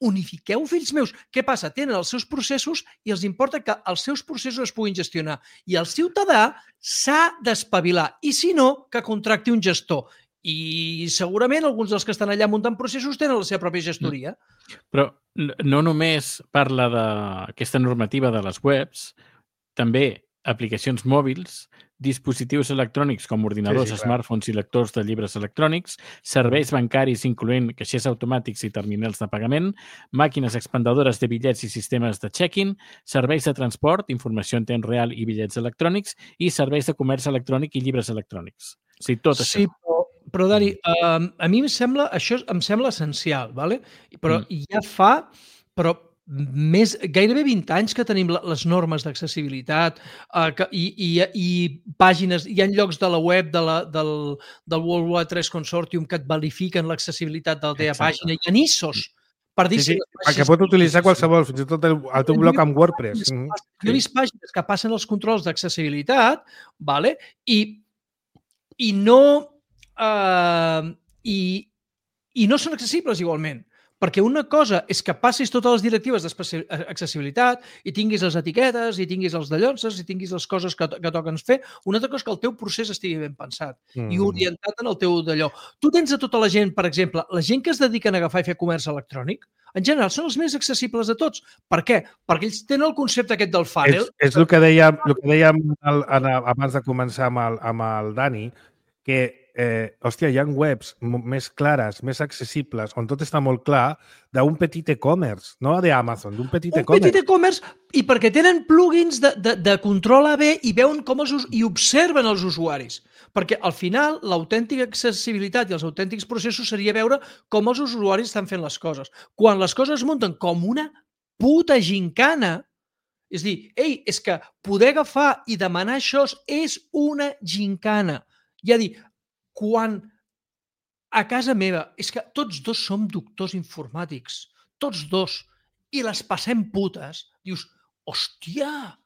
unifiqueu, fills meus. Què passa? Tenen els seus processos i els importa que els seus processos es puguin gestionar. I el ciutadà s'ha d'espavilar. I si no, que contracti un gestor. I segurament alguns dels que estan allà muntant processos tenen la seva pròpia gestoria. Però no només parla d'aquesta normativa de les webs, també aplicacions mòbils, dispositius electrònics com ordinadors, smartphones i lectors de llibres electrònics, serveis bancaris incloent caixers automàtics i terminals de pagament, màquines expendedores de bitllets i sistemes de check-in, serveis de transport, informació en temps real i bitllets electrònics i serveis de comerç electrònic i llibres electrònics. O sigui, tot això. Sí, però Dani, a mi això em sembla essencial, ¿vale? Però ja fa gairebé 20 anys que tenim les normes d'accessibilitat i pàgines, hi ha llocs de la web del World Wide Tres Consortium que et verifiquen l'accessibilitat de la teva pàgina, hi ha ISOs per dir sí, perquè pot utilitzar qualsevol, fins i tot el teu blog amb WordPress. Jo he vist pàgines que passen els controls d'accessibilitat, ¿vale? I no són accessibles igualment. Perquè una cosa és que passis totes les directives d'accessibilitat i tinguis les etiquetes, i tinguis els dallonses, i tinguis les coses que toquen fer. Una altra cosa és que el teu procés estigui ben pensat i orientat en el teu d'allò. Tu tens a tota la gent, per exemple, la gent que es dediquen a agafar i fer comerç electrònic, en general són els més accessibles de tots. Per què? Perquè ells tenen el concepte aquest del funnel. És el que dèiem abans de començar amb el Dani, que hòstia, hi ha webs més clares, més accessibles, on tot està molt clar, d'un petit e-commerce, no d'Amazon, d'un petit e-commerce. Un petit e-commerce, i perquè tenen plugins de control AB i veuen com i observen els usuaris. Perquè al final l'autèntica accessibilitat i els autèntics processos seria veure com els usuaris estan fent les coses. Quan les coses es munten com una puta gincana, és dir, és que poder agafar i demanar això és una gincana. I a dir, quan a casa meva, és que tots dos som doctors informàtics, tots dos, i les passem putes, dius, hòstia,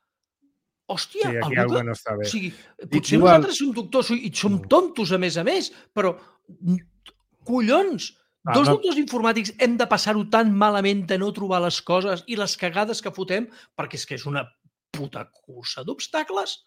sí, aquí algú no està bé. O sigui, potser nosaltres som doctors i som tontos, a més, però collons, doctors informàtics hem de passar-ho tan malament de no trobar les coses i les cagades que fotem, perquè és que és una puta cursa d'obstacles.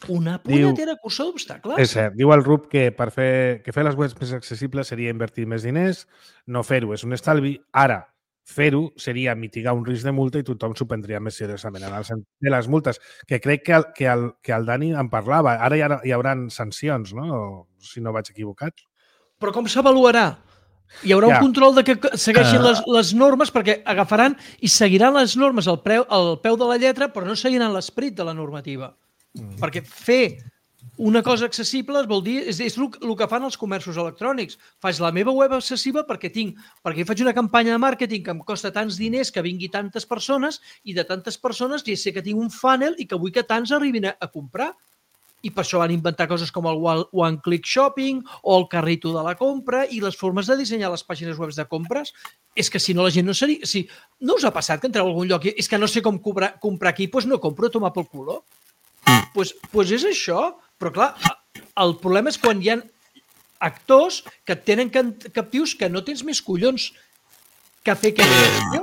Una punyetera cursa d'obstacles. És cert. Diu el Rup que fer les webs més accessibles seria invertir més diners, no fer-ho és un estalvi. Ara, fer-ho seria mitigar un risc de multa i tothom s'ho prendria més seriosament en el sentit de les multes, que crec que el Dani en parlava. Ara hi haurà sancions, no? Si no vaig equivocat. Però com s'avaluarà? Hi haurà un control de que segueixin les normes, perquè agafaran i seguiran les normes al peu de la lletra, però no seguiran l'esperit de la normativa. Perquè fer una cosa accessible vol dir, és el que fan els comerços electrònics. Faig la meva web accessible perquè faig una campanya de màrqueting que em costa tants diners que vingui tantes persones i de tantes persones ja sé que tinc un funnel i que vull que tants arribin a comprar. I per això van inventar coses com el one-click shopping o el carrito de la compra i les formes de dissenyar les pàgines web de compres. És que si no la gent no seria... No us ha passat que entreu a algun lloc i és que no sé com comprar aquí, doncs no compro, a tomar pel culo. Doncs és això, però clar, el problema és quan hi ha actors que et tenen captius que no tens més collons que fer que jo.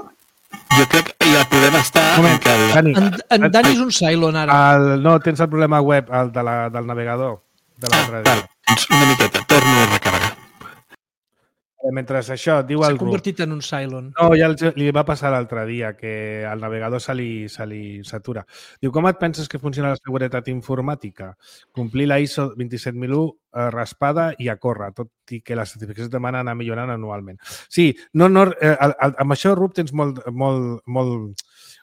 Jo crec que ja podem estar... En Dani és un Cylon ara. No, tens el problema web, el del navegador. Doncs una miqueta, torno a recarregar. Mentre això, diu el Rup... S'ha convertit en un Cylon. No, ja li va passar l'altre dia, que el navegador se li satura. Diu, com et penses que funciona la seguretat informàtica? Complir la ISO 27001 raspada i a córrer, tot i que les certificacions demanen anar millorant anualment. Sí, amb això, Rup, tens molt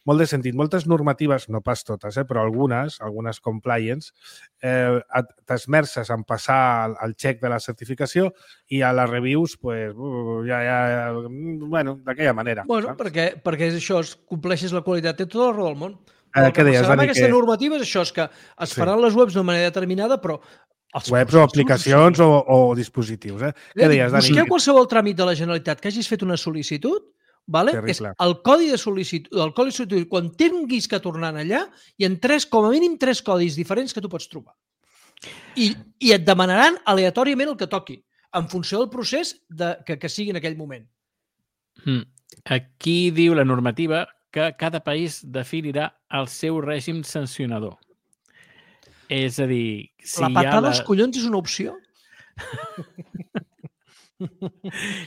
de sentit. Moltes normatives, no pas totes, però algunes compliance, t'esmerces en passar el check de la certificació i a les reviews, d'aquella manera. Bueno, perquè és això, compleixes la qualitat, té tota la raó del món. Què deies, Dani? Aquesta normativa és això, és que es faran les webs d'una manera determinada, però... Webs o aplicacions o dispositius. Què deies, Dani? Busqueu qualsevol tràmit de la Generalitat que hagis fet una sol·licitud, és el codi de sol·licitud, quan tinguis que tornar allà, hi ha com a mínim 3 codis diferents que tu pots trobar. I et demanaran aleatòriament el que toqui, en funció del procés que sigui en aquell moment. Aquí diu la normativa que cada país definirà el seu règim sancionador. És a dir, si La hi ha patada als collons és una opció?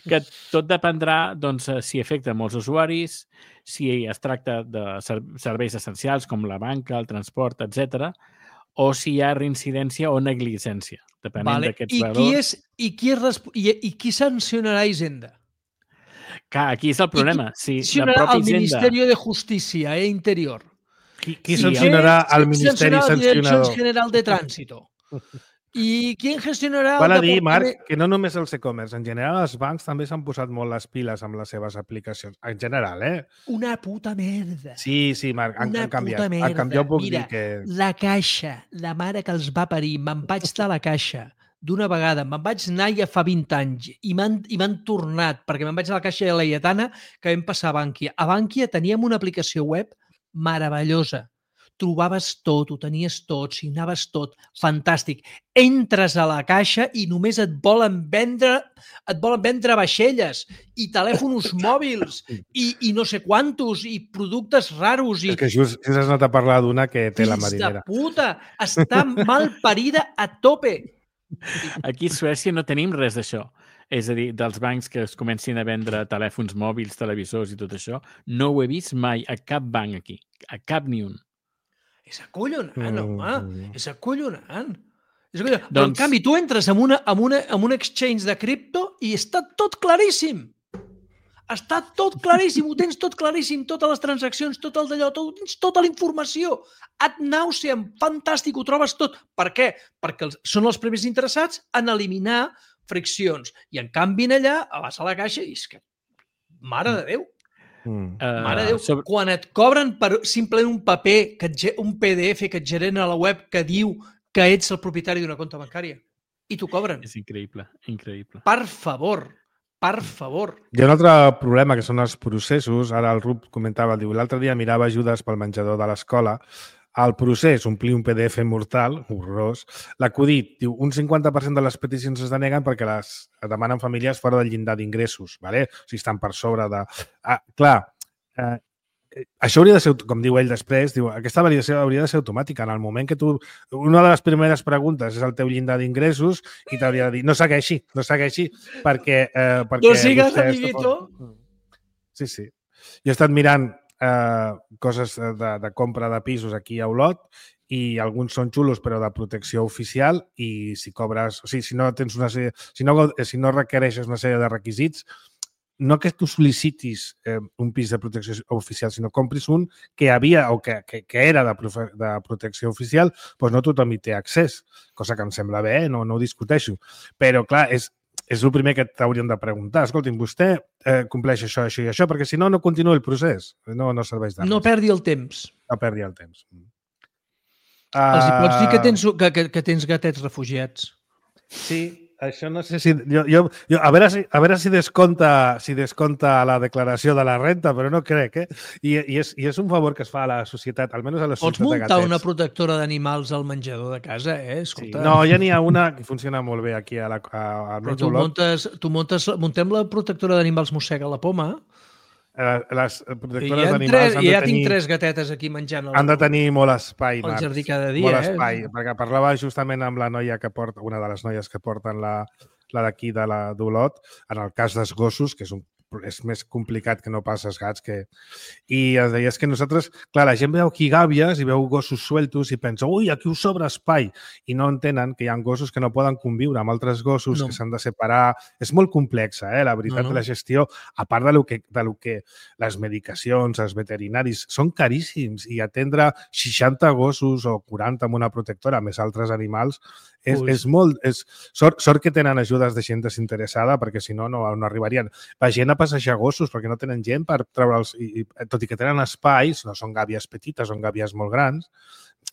que tot dependrà doncs, si afecta molts usuaris, si es tracta de serveis essencials com la banca, el transport, etc, o si hi ha reincidència o negligència, depenent d'aquests valors. I qui sancionarà Hisenda? Clar, aquí és el problema. Si la Sancionarà pròpia el Hisenda... Ministerio de Justícia, Interior. Qui sancionarà el Ministeri la Dirección Sancionador? General de Tránsito. I qui gestionarà Val el a dir, departament... Marc, que no només els e-commerce, en general els bancs també s'han posat molt les piles amb les seves aplicacions. En general, Una puta merda. Sí, Marc, han canviat. Han canviat, puc dir que... La Caixa, la mare que els va parir, me'n vaig de la Caixa d'una vegada, me'n vaig anar ja fa 20 anys i m'han tornat, perquè me'n vaig a la Caixa de Laietana que vam passar a Bànquia. A Bànquia teníem una aplicació web meravellosa. Trobaves tot, ho tenies tot, signaves tot, fantàstic. Entres a la Caixa i només et volen vendre vaixelles i telèfons mòbils i no sé quantos i productes raros. És que just has anat a parlar d'una que té la marinera. Fills de puta! Està mal parida a tope! Aquí a Suècia no tenim res d'això. És a dir, dels bancs que es comencin a vendre telèfons mòbils, televisors i tot això, no ho he vist mai a cap banc aquí. A cap ni un. És acollonant, home. És acollonant. Però, Doncs... en canvi, tu entres en un exchange de cripto i està tot claríssim. Està tot claríssim, ho tens tot claríssim, totes les transaccions, tot el d'allò, tens tota la informació. Ad nauseam, fantàstic, ho trobes tot. Per què? Perquè són els primers interessats en eliminar friccions. I en canvi, allà, vas a la Caixa i és que, mare de Déu, mare de Déu, quan et cobren per simplement un paper, un PDF que et genera a la web que diu que ets el propietari d'una compta bancària i t'ho cobren. És increïble, increïble. Per favor. Hi ha un altre problema, que són els processos. Ara el Rup comentava, diu, l'altre dia mirava ajudes pel menjador de l'escola. El procés, omplir un PDF mortal, horrorós. L'acudit, diu, un 50% de les peticions es deneguen perquè les demanen famílies fora del llindar d'ingressos, ¿vale? O sigui, estan per sobre de... Això hauria de ser, com diu ell després, diu, aquesta validació hauria de ser automàtica. En el moment que tu... Una de les primeres preguntes és el teu llindar d'ingressos i t'hauria de dir, no segueixi, perquè no sigues, amiguito. Sí. Jo he estat mirant coses de compra de pisos aquí a Olot i alguns són xulos però de protecció oficial i si cobres, o sigui, si no tens una sèrie, si no requereixes una sèrie de requisits, no que tu sol·licitis un pis de protecció oficial, sinó compris un que havia o que era de protecció oficial, doncs no tothom hi té accés, cosa que em sembla bé, no ho discuteixo. Però, clar, és el primer que t'haurien de preguntar. Escolti'm, vostè compleix això, això i això, perquè si no, no continua el procés. No serveix de res. No perdi el temps. No perdi el temps. Els hi pots dir que tens gatets refugiats. Sí, això no sé si... a veure si descompta la declaració de la renta, però no crec, I és un favor que es fa a la societat, almenys a la societat de gatets. Pots muntar una protectora d'animals al menjador de casa, Escolta. Sí. No, ja n'hi ha una que funciona molt bé aquí al Metge Olot. Muntem la protectora d'animals mossega la poma. Les protectores d'animals ja tinc 3 gatetes aquí menjant han de tenir molt espai, al jardí cada dia. Molt espai, perquè parlava justament amb la noia que porta, una de les noies que porten la d'aquí d'Olot, en el cas dels gossos, que és més complicat que no pas els gats, i es deia que nosaltres, clar, la gent veu aquí gàbies i veu gossos sueltos i pensa, ui, aquí us sobra espai, i no entenen que hi ha gossos que no poden conviure amb altres gossos, que s'han de separar. És molt complexa, la veritat, la gestió, a part de lo que les medicacions, els veterinaris, són caríssims, i atendre 60 gossos o 40 amb una protectora, més altres animals, és molt... Sort que tenen ajudes de gent desinteressada, perquè si no, no arribarien. La gent a passejar gossos, perquè no tenen gent per treure'ls, tot i que tenen espais, no són gàbies petites, són gàbies molt grans,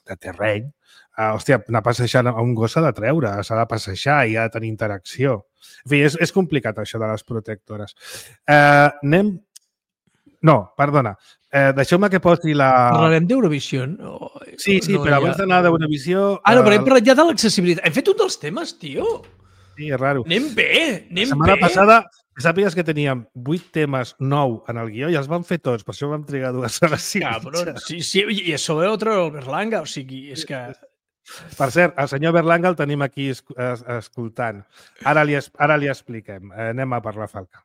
de terreny. Hòstia, anar passejant a un gos s'ha de treure, s'ha de passejar i ha de tenir interacció. En fi, és complicat això de les protectores. No, perdona. Deixeu-me que posi la... Parlarem d'Eurovisió? Sí, però abans d'anar d'Eurovisió... No, però hem parlat ja de l'accessibilitat. Hem fet un dels temes, tio. Sí, és raro. Anem bé. La setmana passada Sàpigues que teníem 8 temes, 9 en el guió i els vam fer tots, per això vam trigar 2 hores i Cabrón, mitja. sí, i això ve otro el Berlanga, o sigui, és que... Per cert, el senyor Berlanga el tenim aquí escoltant. Ara li expliquem. Anem a parlar, Falca.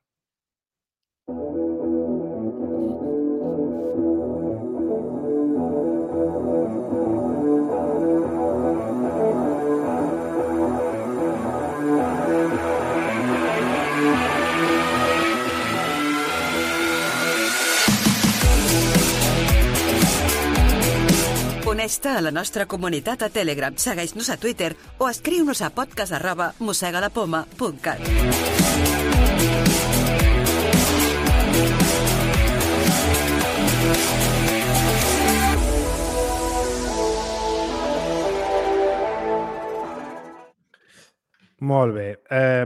Uneix-te a la nostra comunitat a Telegram, segueix-nos a Twitter o escriu-nos a podcast@mossegalapoma.cat. Molt bé.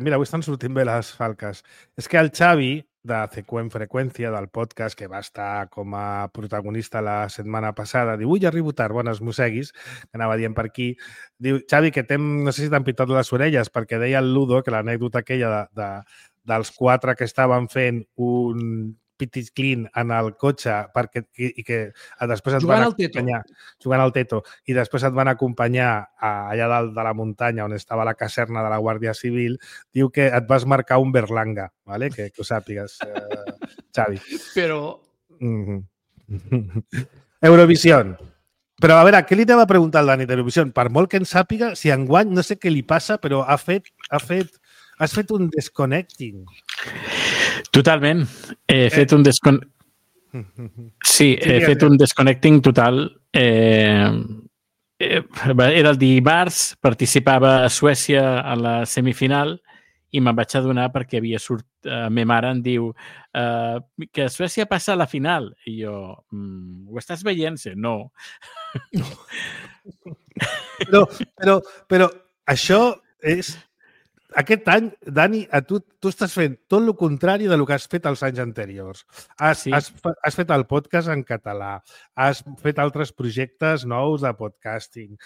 Mira, avui estan sortint bé les falques. És que el Xavi, de CQ Freqüència, del podcast, que va estar com a protagonista la setmana passada, diu, ui, arribo tard, bones mosseguis, que anava dient per aquí. Diu, Xavi, que no sé si t'han pitat les orelles, perquè deia el Ludo que l'anècdota aquella dels 4 que estaven fent un petit clean en el cotxe i que després et van acompanyar jugant al teto i després et van acompanyar allà dalt de la muntanya on estava la caserna de la Guàrdia Civil, diu que et vas marcar un Berlanga, ¿vale? Que ho sàpigues, Xavi. Però... Eurovisió. Però, a veure, què li anava a preguntar al Dani d'Eurovisió? Per molt que en sàpiga, si enguany, no sé què li passa, però has fet un desconnecting. Totalment. He fet un desconnecting total. Era el dimarts, participava a Suècia a la semifinal i me'n vaig adonar perquè havia me mare em diu que Suècia passa a la final. I jo, ho estàs veient? No. Però això és... Aquest any, Dani, tu estàs fent tot el contrari del que has fet els anys anteriors. Has fet el podcast en català, has fet altres projectes nous de podcasting,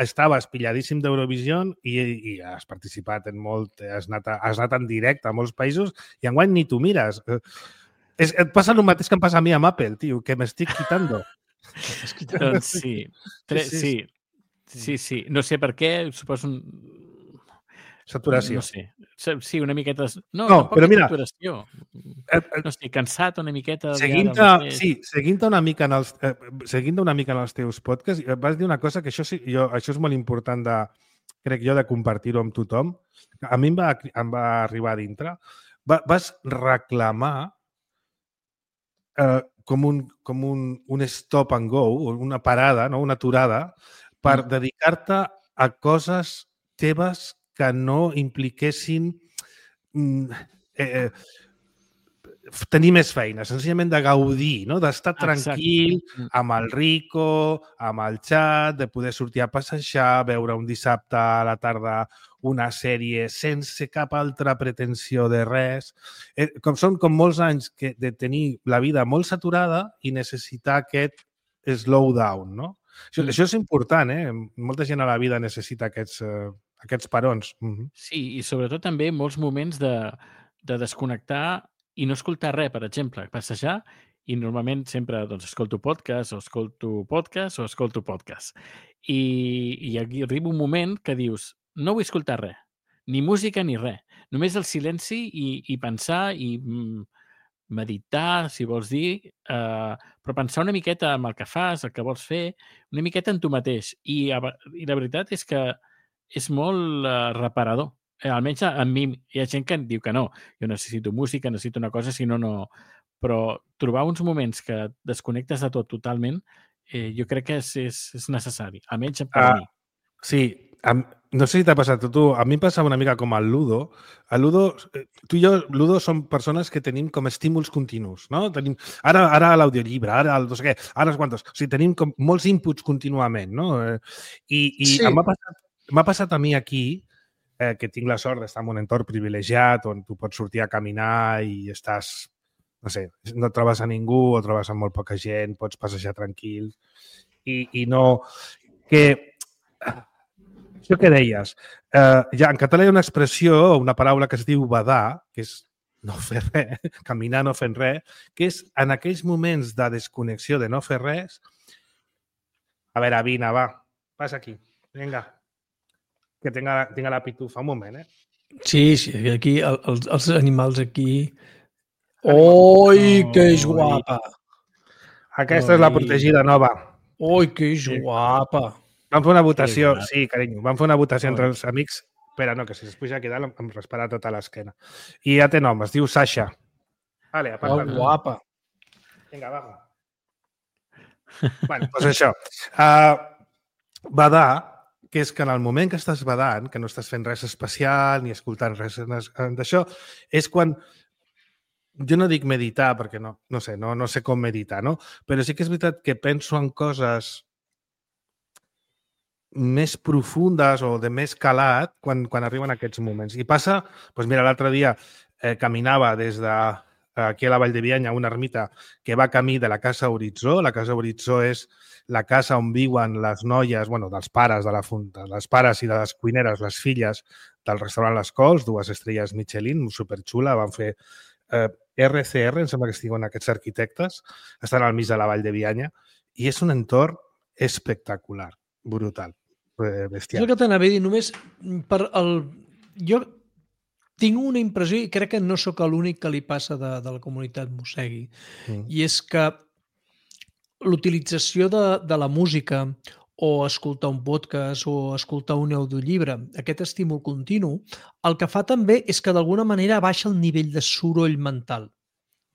estaves pilladíssim d'Eurovisió i has participat en molt, has anat en directe a molts països i enguany ni tu mires. Et passa el mateix que em passa a mi amb Apple, tio, que m'estic quitando. Doncs sí. No sé per què, suposo saturació. No sé. Sí, una miqueta... No, però mira... Saturació. No estic cansat una miqueta... Seguint una mica en els teus podcasts, vas dir una cosa que això és molt important crec jo, de compartir-ho amb tothom. A mi em va arribar a dintre. Vas reclamar com un stop and go, una parada, no? Una aturada, per dedicar-te a coses teves que no impliquessin tenir més feina, senzillament de gaudir, no? D'estar tranquil amb el Rico, amb el xat, de poder sortir a passejar, veure un dissabte a la tarda una sèrie sense cap altra pretensió de res. Són com molts anys de tenir la vida molt saturada i necessitar aquest slow down, no? Això és important, Molta gent a la vida necessita aquests parons. Sí, i sobretot també molts moments de desconnectar i no escoltar res, per exemple, passejar, i normalment sempre escolto podcast. I aquí arriba un moment que dius, no vull escoltar res, ni música ni res, només el silenci i pensar i meditar, si vols dir, però pensar una miqueta en el que fas, el que vols fer, una miqueta en tu mateix. I la veritat és que és molt reparador. Almenys a mi hi ha gent que diu que no. Jo necessito música, necessito una cosa, si no, no. Però trobar uns moments que desconnectes de tot totalment, jo crec que és necessari. Almenys per mi. Sí. No sé si t'ha passat a tu. A mi em passava una mica com al Ludo. Tu i jo, Ludo, som persones que tenim com estímuls continus, no? Tenim ara l'audiollibre, ara el no sé què, ara els quantos. O sigui, tenim com molts inputs contínuament, no? I m'ha passat a mi aquí que tinc la sort d'estar en un entorn privilegiat on tu pots sortir a caminar i estàs, no sé, no et trobes a ningú o trobes amb molt poca gent, pots passejar tranquil i no... Això que deies, ja en català hi ha una expressió, una paraula que es diu badar, que és no fer res, caminar no fent res, que és en aquells moments de desconnexió, de no fer res. A veure, vine, va, passa aquí, vinga, que tinga la pitufa, un moment, Sí, aquí els animals aquí... Oi, que és guapa! Aquesta és la protegida nova. Oi, que és guapa! Vam fer una votació, sí, carinyo, vam fer una votació entre els amics. Espera, no, que si es puja aquí dalt em respara tota l'esquena. I ja té nom, es diu Sasha. Vale, aparta't. Guapa! Vinga, va. Bueno, doncs això. Badar, que és que en el moment que estàs badant, que no estàs fent res especial ni escoltant res d'això, és quan... Jo no dic meditar, perquè no sé com meditar, no? Però sí que és veritat que penso en coses més profundes o de més calat quan arriben aquests moments. I passa, doncs mira, l'altre dia caminava des d'aquí a la Vall de Bianya, una ermita que va camí de la Casa Horitzó. La Casa Horitzó és la casa on viuen les noies, bueno, dels pares de la Funta, les pares i de les cuineres, les filles del restaurant Les Cols, 2 estrelles Michelin, superxula, van fer RCR, em sembla que es diuen aquests arquitectes, estan al mig de la Vall de Bianya, i és un entorn espectacular, brutal, bestial. És el que t'anava a dir, només per el... Jo tinc una impressió, i crec que no sóc l'únic que li passa de la comunitat Mossegui, i és que l'utilització de la música o escoltar un podcast o escoltar un audiollibre, aquest estímul continu, el que fa també és que d'alguna manera baixa el nivell de soroll mental.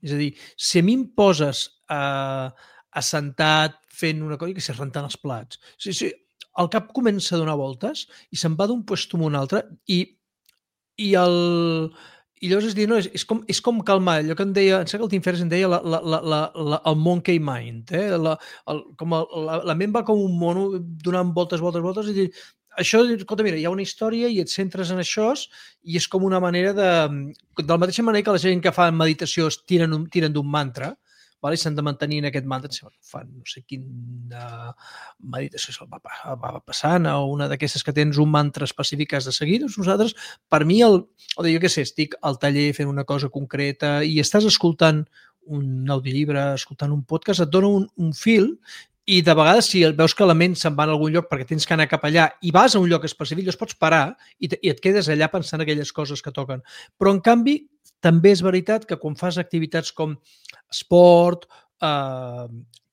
És a dir, si a mi em poses assentat fent una cosa, que sé, rentant els plats, el cap comença a donar voltes i se'n va d'un lloc a un altre i llavors és com calmar, allò que em deia, em sembla que el Tim Ferriss em deia el monkey mind, la ment va com un mono donant voltes i dir, això, escolta, mira, hi ha una història i et centres en això i és com una manera de la mateixa manera que la gent que fa meditació es tiren d'un mantra, i s'han de mantenir en aquest mantra, fan no sé quina meditació se'l va passant o una d'aquestes que tens un mantra específic que has de seguir. Doncs nosaltres, per mi, jo què sé, estic al taller fent una cosa concreta i estàs escoltant un audiollibre, escoltant un podcast, et dona un fil i de vegades si veus que la ment se'n va a algun lloc perquè tens que anar cap allà i vas a un lloc específic, llavors pots parar i et quedes allà pensant aquelles coses que toquen. Però, en canvi, també és veritat que quan fas activitats com esport,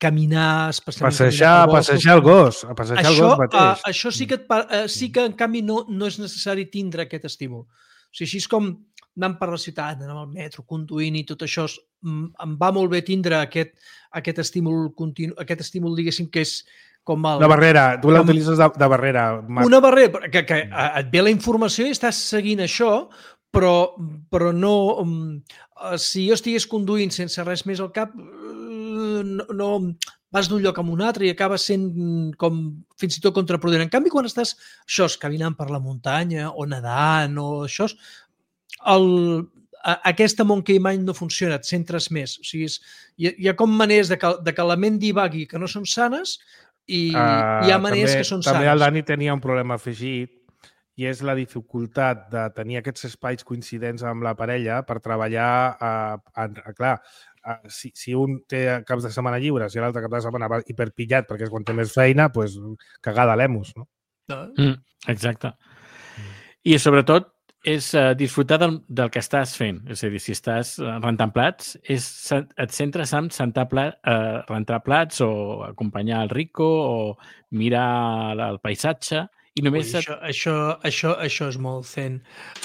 caminar... Passejar el gos. Passejar el gos mateix. Això sí que, en canvi, no és necessari tindre aquest estímul. O sigui, així és com anant per la ciutat, anant al metro, conduint i tot això, em va molt bé tindre aquest estímul continu, aquest estímul, diguéssim, que és com el... Una barrera, tu l'utilitzes de barrera. Una barrera, que et ve la informació i estàs seguint això, però no... Si jo estigués conduint sense res més al cap, no vas d'un lloc a un altre i acabes sent com fins i tot contraproduent. En canvi, quan estàs caminant per la muntanya o nedant o això, aquesta monkey mind no funciona, et centres més. O sigui, hi ha com maneres de que la ment divagui que no són sanes i hi ha maneres que són sanes. També el Dani tenia un problema afegit i és la dificultat de tenir aquests espais coincidents amb la parella per treballar. Clar, si un té caps de setmana lliures i l'altre cap de setmana va hiperpillat perquè és quan té més feina, doncs cagada a l'emus, no? Exacte. I sobretot és disfrutar del que estàs fent. És a dir, si estàs rentant plats, et centres en rentar plats o acompanyar el Rico o mirar el paisatge. I només això és molt zen.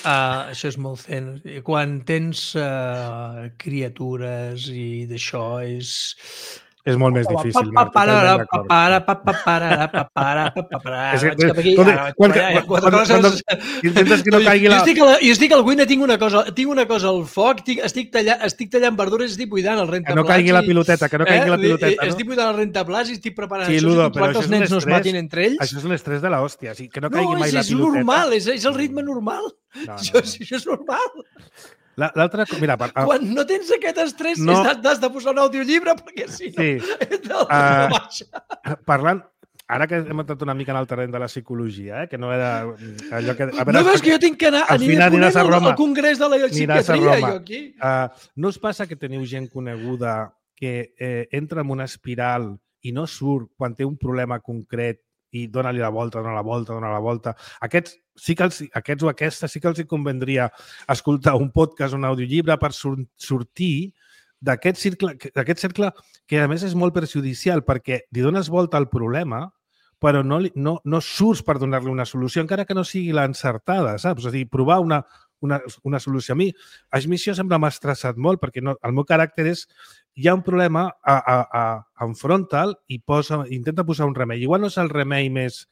Això és molt zen. Quan tens criatures i d'això és... És molt més difícil. Intentes que no caigui la... Jo estic al cuina, tinc una cosa al foc, estic tallant verdures i estic buidant el rentaplats. Que no caigui la piloteta, no? Estic buidant el rentaplats i estic preparant això. Sí, Ludo, però que els nens no es matin entre ells. Això és l'estrès de l'hòstia, que no caigui mai la piloteta. No, és normal, és el ritme normal. Això és normal. L'altra... Mira, quan no tens aquest estrès has de posar un audiollibre perquè si no... Parlant... ara que hem entrat una mica en el terreny de la psicologia, que no era allò que... No veus que jo tinc que anar al Congrés de la Psiquiatria, jo aquí? No us passa que teniu gent coneguda que entra en una espiral i no surt quan té un problema concret i dona-li la volta, dona la volta. Aquests o aquestes sí que els hi convendria escoltar un podcast, un audiollibre per sortir d'aquest cercle que a més és molt perjudicial perquè li dones volta al problema però no surts per donar-li una solució, encara que no sigui l'encertada, saps? És a dir, provar una solució. A mi això sempre m'ha estressat molt perquè el meu caràcter és hi ha un problema, enfronta'l i intenta posar un remei. Igual no és el remei més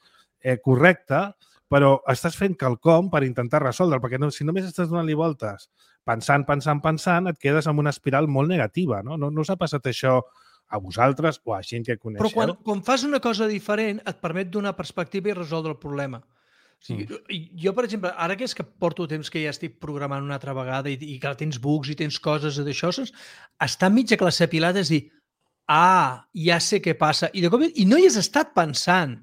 correcte, però estàs fent quelcom per intentar resoldre'l, perquè si només estàs donant-li voltes, pensant, et quedes en una espiral molt negativa. No us ha passat això a vosaltres o a gent que coneixeu? Però quan fas una cosa diferent et permet donar perspectiva i resoldre el problema. O sigui, jo, per exemple, ara que és que porto temps que ja estic programant una altra vegada i que tens bugs i tens coses d'això, està enmig de classe pilada és dir, ja sé què passa. I no hi has estat pensant.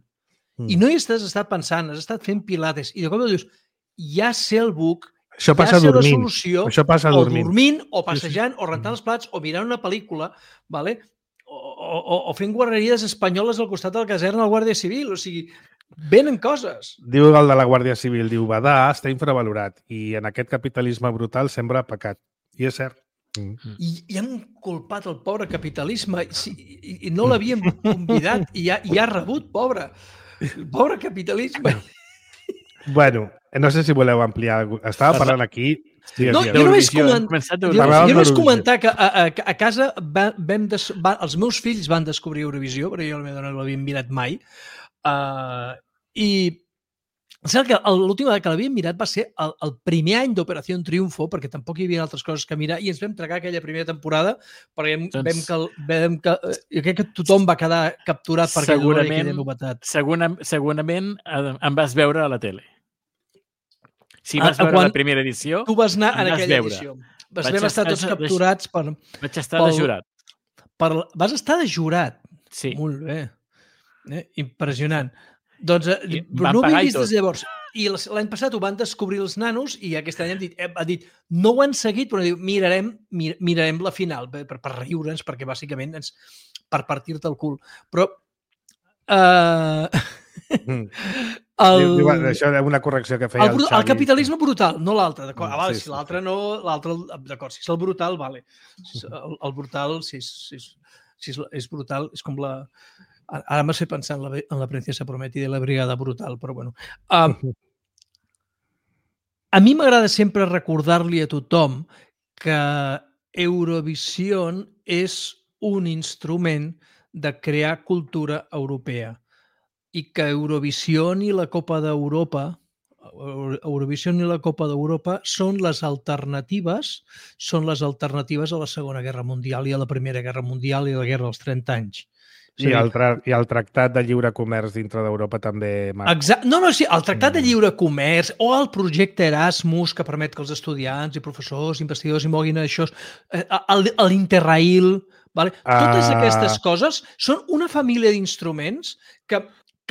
I no hi has estat pensant, has estat fent pilates. I de cop dius, ja sé el bug, això passa ja sé dormint. la solució, Això passa o dormint, o passejant, o rentant els plats, o mirant una pel·lícula, ¿vale? O fent guarreries espanyoles al costat de la caserna del Guàrdia Civil. O sigui, venen coses. Diu el de la Guàrdia Civil, diu, Badà està infravalorat i en aquest capitalisme brutal sembra pecat. I és cert. I han culpat el pobre capitalisme i no l'havien convidat i ha rebut, pobre capitalisme. Bueno, no sé si voleu ampliar. Estava parlant aquí... No, jo només comentar que a casa els meus fills van descobrir Eurovisió, perquè jo no l'havia mirat mai, i sembla que l'última vegada que l'havia mirat va ser el primer any d'Operació Triunfo, perquè tampoc hi havia altres coses que mirar, i ens vam tragar aquella primera temporada, perquè jo crec que tothom va quedar capturat per aquella novetat. Segurament em vas veure a la tele. Si vas veure la primera edició, tu vas anar en aquella edició. Vam estar tots capturats per... Vaig estar de jurat. Vas estar de jurat? Sí. Molt bé. Impressionant. Doncs no ho hem vist des de llavors. I l'any passat ho van descobrir els nanos i aquest any ha dit no ho han seguit, però mirarem la final per riure'ns, perquè bàsicament per partir-te el cul. Però... Això és una correcció que feia el Xavi. El capitalisme brutal, no l'altre. Si l'altre no, d'acord. Si és el brutal, vale. El brutal, si és brutal, és com la... Ara m'has fet pensar en la Princesa Prometida i la Brigada Brutal, però bueno. A mi m'agrada sempre recordar-li a tothom que Eurovision és un instrument de crear cultura europea i que Eurovision i la Copa d'Europa són les alternatives a la Segona Guerra Mundial i a la Primera Guerra Mundial i a la Guerra dels 30 anys. I el Tractat de Lliure Comerç dintre d'Europa també... Sí, el Tractat de Lliure Comerç o el projecte Erasmus que permet que els estudiants i professors, investigadors i moguin això, l'Interrail... Totes aquestes coses són una família d'instruments que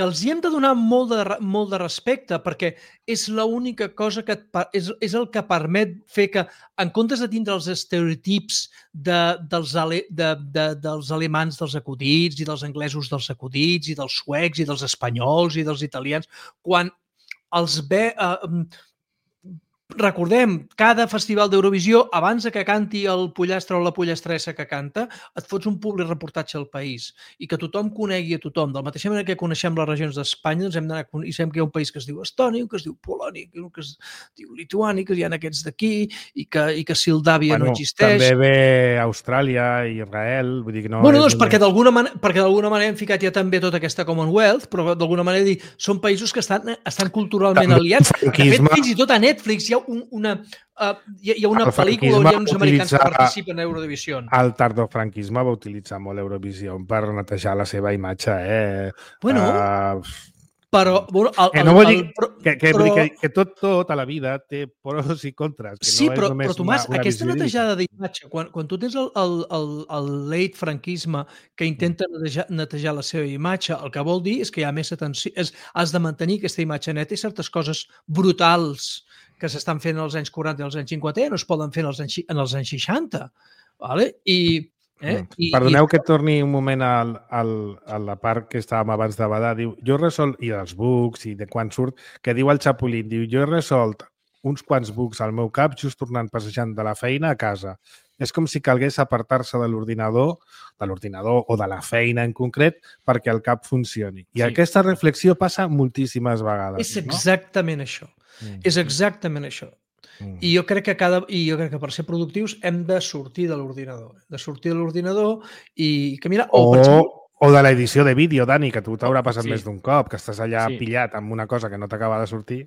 els hi hem de donar molt de respecte perquè és l'única cosa que és el que permet fer que, en comptes de tindre els estereotips dels alemans dels acudits i dels anglesos dels acudits i dels suecs i dels espanyols i dels italians, quan els ve... Recordem, cada festival d'Eurovisió, abans que canti el pollastre o la pollastressa que canta, et fots un public reportatge al país i que tothom conegui a tothom. De la mateixa manera que coneixem les regions d'Espanya, ens hem d'anar i sabem que hi ha un país que es diu Estònia, un que es diu Polònia, un que es diu Lituània, que hi ha aquests d'aquí i que Moldàvia no existeix. També ve Austràlia i Israel, vull dir que no... Doncs perquè d'alguna manera hem ficat ja també tota aquesta Commonwealth, però d'alguna manera són països que estan culturalment aliats. De fet, fins i tot a Netflix hi ha una pel·lícula on hi ha uns americans que participen a Eurovisió. El tardofranquisme va utilitzar molt Eurovisió per netejar la seva imatge. Però, bueno, no vol dir que tot a la vida té pros i contres. Que sí, no és però només Tomàs, una aquesta visió netejada d'imatge, quan tu tens el late franquisme que intenta netejar la seva imatge, el que vol dir és que hi ha més atenció, has de mantenir aquesta imatge neta i certes coses brutals que s'estan fent als anys 40 i als anys 50 no es poden fer en els anys 60. Vale? Perdoneu que torni un moment a la part que estàvem abans de badar. Diu, jo he resolt, i dels bugs i de quan surt, que diu el Chapulín, diu, jo he resolt uns quants bugs al meu cap just tornant passejant de la feina a casa. És com si calgués apartar-se de l'ordinador o de la feina en concret perquè el cap funcioni. I aquesta reflexió passa moltíssimes vegades. És exactament això. És exactament això. I jo crec que per ser productius hem de sortir de l'ordinador. I caminar. O de l'edició de vídeo, Dani, que tu t'haurà passat més d'un cop, que estàs allà pillat amb una cosa que no t'acaba de sortir.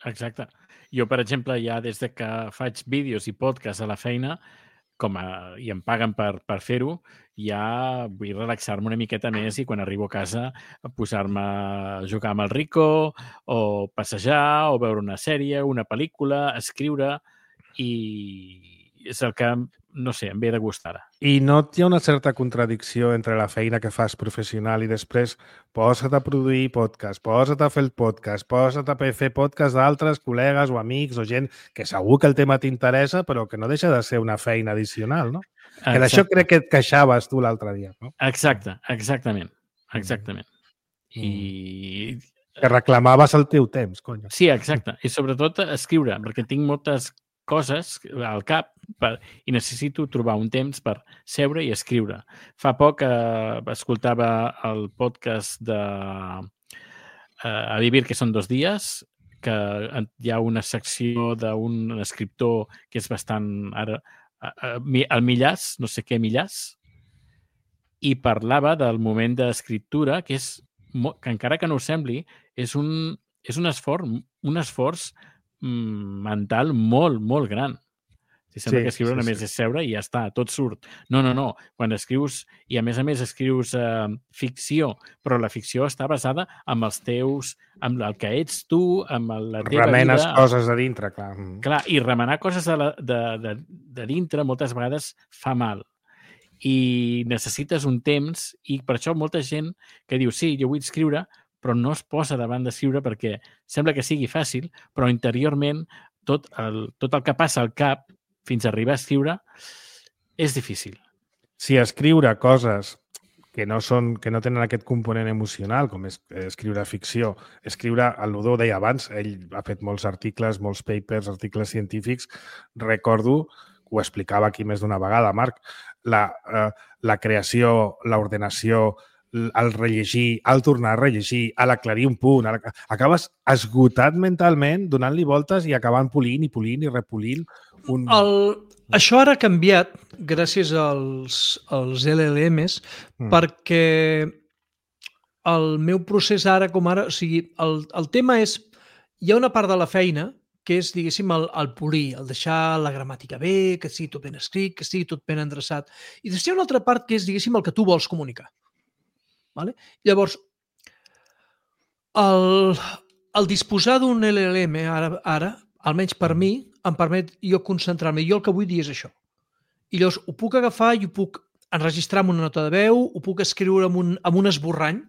Exacte. Jo, per exemple, ja des de que faig vídeos i podcasts a la feina, i em paguen per fer-ho, ja vull relaxar-me una miqueta més i quan arribo a casa posar-me a jugar amb el Rico o passejar o veure una sèrie, una pel·lícula, escriure i és el que, no sé, em ve de gust ara. I no hi ha una certa contradicció entre la feina que fas professional i després posa't a produir podcast, posa't a fer el podcast, posa't a fer podcast d'altres col·legues o amics o gent que segur que el tema t'interessa però que no deixa de ser una feina addicional, no? Que d'això crec que et queixaves tu l'altre dia, no? Exactament. I... Que reclamaves el teu temps, cony. Sí, exacte. I sobretot escriure, perquè tinc moltes coses al cap i necessito trobar un temps per seure i escriure. Fa poc escoltava el podcast de A vivir que són 2 dies, que hi ha una secció d'un escriptor que és bastant... el Millàs, no sé què Millàs, i parlava del moment d'escriptura, que és que encara que no ho sembli, és un esforç mental molt, molt gran. Sembla que escriure només és seure i ja està, tot surt. No. Quan escrius, i a més escrius ficció, però la ficció està basada en els teus, amb el que ets tu, amb la teva vida. Remenes coses de dintre, clar. Clar, i remenar coses de dintre moltes vegades fa mal. I necessites un temps, i per això molta gent que diu, sí, jo vull escriure, però no es posa davant d'escriure perquè sembla que sigui fàcil, però interiorment tot el que passa al cap fins a arribar a escriure és difícil. Si escriure coses que no tenen aquest component emocional, com és escriure ficció, escriure, el Ludó deia abans, ell ha fet molts articles, molts papers, articles científics, recordo, ho explicava aquí més d'una vegada, Marc, la creació, l'ordenació, el rellegir, el tornar a rellegir, l'aclarir un punt, acabes esgotat mentalment, donant-li voltes i acabant polint i repolint. Això ara ha canviat gràcies als LLMs perquè el meu procés ara com ara, o sigui, el tema és, hi ha una part de la feina que és, diguéssim, el polir, el deixar la gramàtica bé, que sigui tot ben escrit, que estigui tot ben endreçat. I després hi ha una altra part que és, diguéssim, el que tu vols comunicar. Vale? Llavors, el disposar d'un LLM ara, almenys per mi, em permet jo concentrar-me. Jo el que vull dir és això. I llavors ho puc agafar i ho puc enregistrar amb una nota de veu, ho puc escriure amb un esborrany,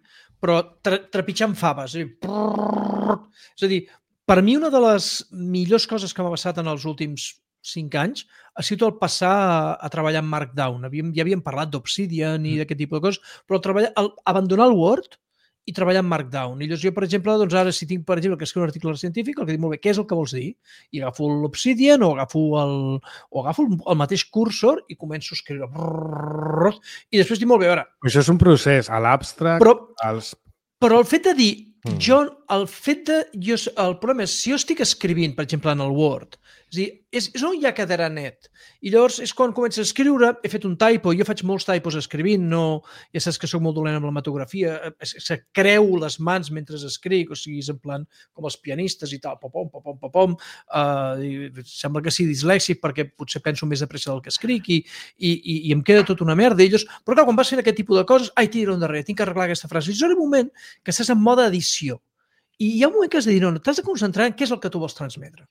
però trepitjant faves. És a dir, per mi una de les millors coses que m'ha passat en els últims 5 anys ha sigut el passar a treballar en Markdown. Ja havíem parlat d'Obsidian i d'aquest tipus de coses, però abandonar el Word i treballar en Markdown. I llavors jo, per exemple, doncs ara si tinc, per exemple, que escriure un article científic, el que dic molt bé, què és el que vols dir? I agafo l'Obsidian o agafo el mateix cursor i començo a escriure. I després dic molt bé, a veure... Això és un procés, a l'abstract... Però el fet de dir, jo el fet de... El problema és, si jo estic escrivint, per exemple, en el Word, és a dir, és on hi ha quedarà net. I llavors és quan començo a escriure, he fet un typo, jo faig molts typos escrivint, no, ja saps que soc molt dolent amb la metografia, se creu les mans mentre escric, o sigui, és en plan com els pianistes i tal, pom, sembla que sigui dislèxic perquè potser penso més de pressa del que escric i em queda tot una merda. Però clar, quan vas fent aquest tipus de coses, tira endarrere, tinc que arreglar aquesta frase. I és un moment que estàs en mode edició. I hi ha un moment que has de dir, no, t'has de concentrar en què és el que tu vols transmetre.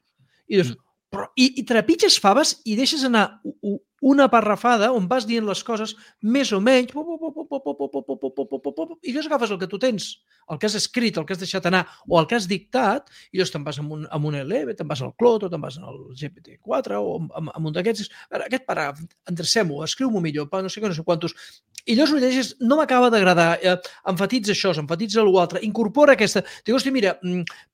I dius, i trepitges faves i deixes anar una parrafada on vas dient les coses més o menys i llavors agafes el que tu tens, el que has escrit, el que has deixat anar o el que has dictat i llavors te'n vas amb un LM, te'n vas al Clot o te'n vas al GPT-4 o amb un d'aquests. Aquest paràgraf, endrecem-ho, escriu-m'ho millor, no sé quantos. I llavors ho llegeixes, no m'acaba d'agradar, emfatitza això, emfatitza l'altre, incorpora aquesta... Diu, hosti, mira,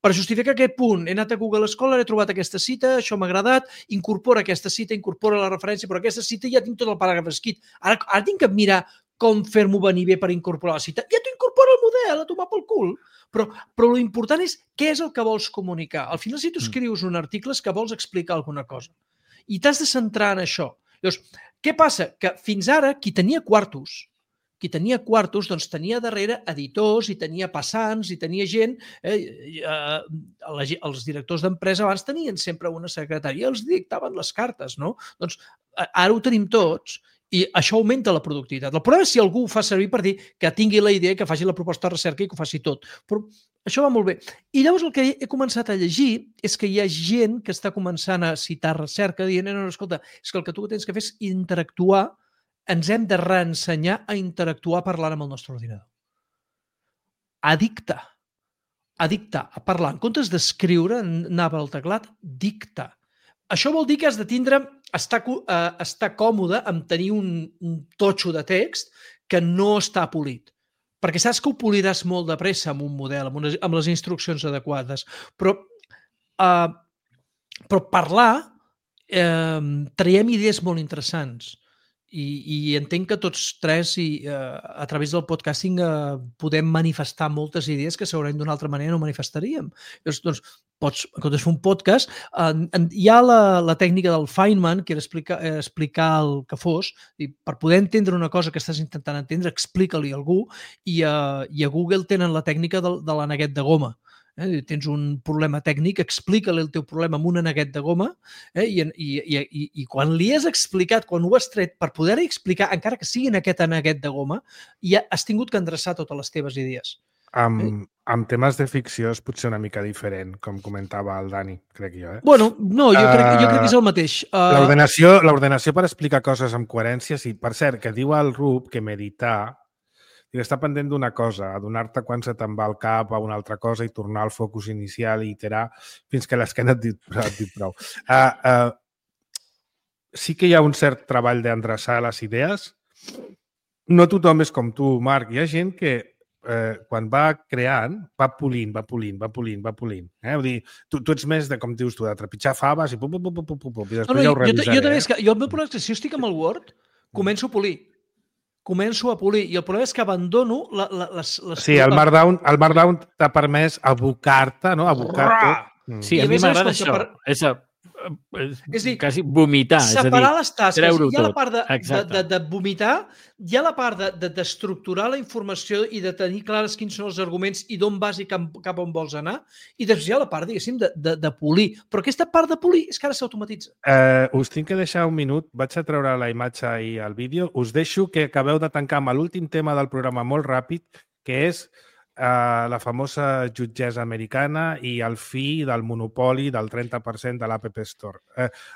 per justificar aquest punt, he anat a Google Scholar, he trobat aquesta cita, això m'ha agradat, incorpora aquesta cita, incorpora la referència, però aquesta cita ja tinc tot el paràgraf escrit. Ara tinc que mirar com fer-m'ho venir bé per incorporar la cita. Ja t'ho incorpora el model, a tomar pel cul. Però l'important és què és el que vols comunicar. Al final, si tu escrius un article és que vols explicar alguna cosa. I t'has de centrar en això. Llavors, què passa? Que fins ara qui tenia quartos, doncs tenia darrere editors i tenia passants i tenia gent, els directors d'empresa abans tenien sempre una secretària, els dictaven les cartes, no? Doncs ara ho tenim tots i això augmenta la productivitat. El problema és si algú ho fa servir per dir que tingui la idea, que faci la proposta de recerca i que ho faci tot. Però això va molt bé. I llavors el que he començat a llegir és que hi ha gent que està començant a citar recerca dient, no, escolta, és que el que tu tens que fer és interactuar, ens hem de reensenyar a interactuar parlant amb el nostre ordinador. A dictar, a parlar. En comptes d'escriure, anava al teclat, dictar. Això vol dir que has de tindre, estar còmode amb tenir un totxo de text que no està polit. Perquè saps que ho poliràs molt de pressa amb un model, amb les instruccions adequades. Però parlar, traiem idees molt interessants. I entenc que tots tres a través del podcasting podem manifestar moltes idees que segurament d'una altra manera no manifestaríem. Llavors, doncs, en comptes de fer un podcast, hi ha la tècnica del Feynman, que era explicar el que fos, i per poder entendre una cosa que estàs intentant entendre, explica-li a algú, i a Google tenen la tècnica de l'aneguet de goma. Tens un problema tècnic, explica-li el teu problema amb un aneguet de goma i quan li has explicat, quan ho has tret per poder-hi explicar, encara que sigui en aquest aneguet de goma, ja has tingut que endreçar totes les teves idees. Amb temes de ficció és potser una mica diferent, com comentava el Dani, crec jo. Bueno, no, jo crec que és el mateix. L'ordenació per explicar coses amb coherència, sí. Per cert, que diu el Rup que meditar i està pendent d'una cosa, adonar-te quan se te'n va al cap a una altra cosa i tornar al focus inicial i iterar fins que l'esquena et diu prou. Sí que hi ha un cert treball d'endreçar les idees. No tothom és com tu, Marc. Hi ha gent que quan va creant va polint. Vull dir, tu ets més de, com dius tu, de trepitjar faves i i després ja ho revisaré. Jo el meu problema és que si jo estic amb el Word, començo a polir i el problema és que abandono les... Sí, el Markdown t'ha permès abocar-te, no? Abocar-te. Sí, a mi m'agrada això. És dir, quasi vomitar. Separar les tasques. Treure-ho hi ha la tot. part de vomitar, hi ha la part d'estructurar la informació i de tenir clares quins són els arguments i d'on vas i cap on vols anar, i després hi ha la part, diguéssim, de polir. Però aquesta part de polir és que ara s'automatitza. Us tinc que deixar un minut. Vaig a treure la imatge i el vídeo. Us deixo que acabeu de tancar amb l'últim tema del programa molt ràpid, que és la famosa jutgessa americana i el fi del monopoli del 30% de l'App Store.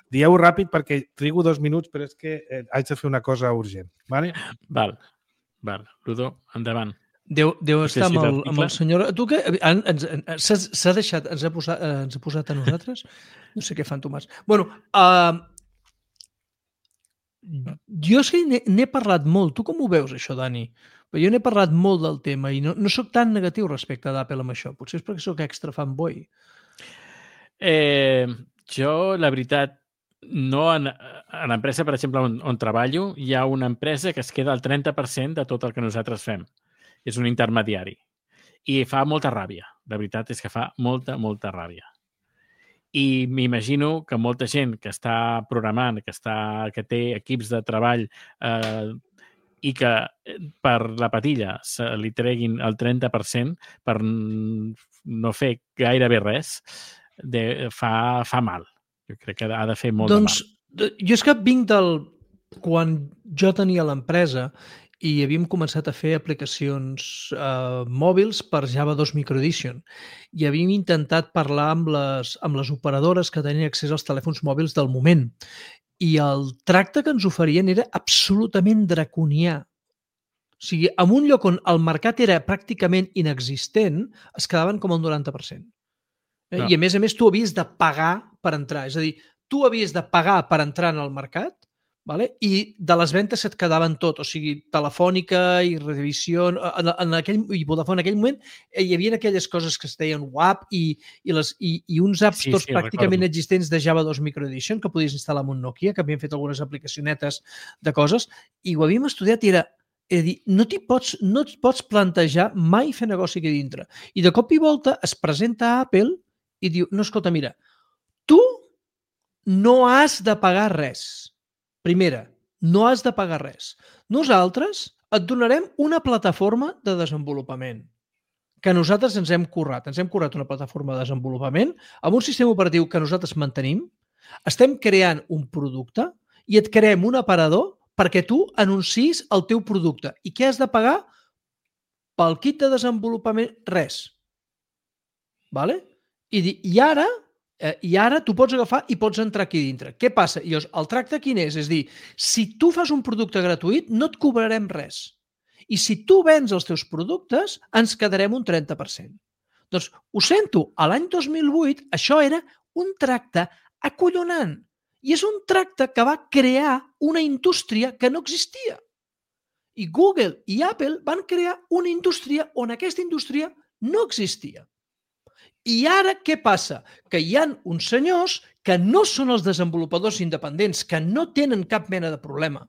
Dieu ràpid perquè trigo 2 minuts, però és que haig de fer una cosa urgent. Vale? Val. Ludo, endavant. Deu estar amb el senyor... Tu que s'ha deixat, ens ha posat a nosaltres? No sé què fan, Tomàs. Bueno, jo és que n'he parlat molt. Tu com ho veus, això, Dani? Però jo n'he parlat molt del tema i no soc tan negatiu respecte d'Apple amb això. Potser és perquè soc extra fanboy. Jo, la veritat, no en l'empresa, per exemple, on treballo, hi ha una empresa que es queda al 30% de tot el que nosaltres fem. És un intermediari. I fa molta ràbia. La veritat és que fa molta, molta ràbia. I m'imagino que molta gent que està programant, que té equips de treball i que per la patilla se li treguin el 30% per no fer gairebé res, fa mal. Jo crec que ha de fer molt de mal. Jo és que vinc quan jo tenia l'empresa i havíem començat a fer aplicacions mòbils per Java 2 Microedition i havíem intentat parlar amb les operadores que tenien accés als telèfons mòbils del moment. I el tracte que ens oferien era absolutament draconià. O sigui, en un lloc on el mercat era pràcticament inexistent, es quedaven com el 90%. No. I a més tu havies de pagar per entrar. És a dir, tu havies de pagar per entrar en el mercat, vale? I de les ventes se't quedaven tot. O sigui, Telefònica i Revisió, i Vodafone en aquell moment hi havia aquelles coses que es deien WAP i uns App Stores pràcticament existents de Java 2 Microedition que podies instal·lar en un Nokia, que havien fet algunes aplicacionetes de coses, i ho havíem estudiat i era dir, no et pots plantejar mai fer negoci aquí dintre. I de cop i volta es presenta a Apple i diu, no, escolta, mira, tu no has de pagar res. Primera, no has de pagar res. Nosaltres et donarem una plataforma de desenvolupament que nosaltres ens hem currat. Ens hem currat una plataforma de desenvolupament amb un sistema operatiu que nosaltres mantenim. Estem creant un producte i et creem un aparador perquè tu anunciïs el teu producte. I què has de pagar? Pel kit de desenvolupament, res. Vale? I ara tu pots agafar i pots entrar aquí dintre. Què passa? I llavors, el tracte quin és? És dir, si tu fas un producte gratuït, no et cobrarem res. I si tu vens els teus productes, ens quedarem un 30%. Doncs, ho sento, a l'any 2008 això era un tracte acollonant. I és un tracte que va crear una indústria que no existia. I Google i Apple van crear una indústria on aquesta indústria no existia. I ara què passa? Que hi ha uns senyors que no són els desenvolupadors independents, que no tenen cap mena de problema.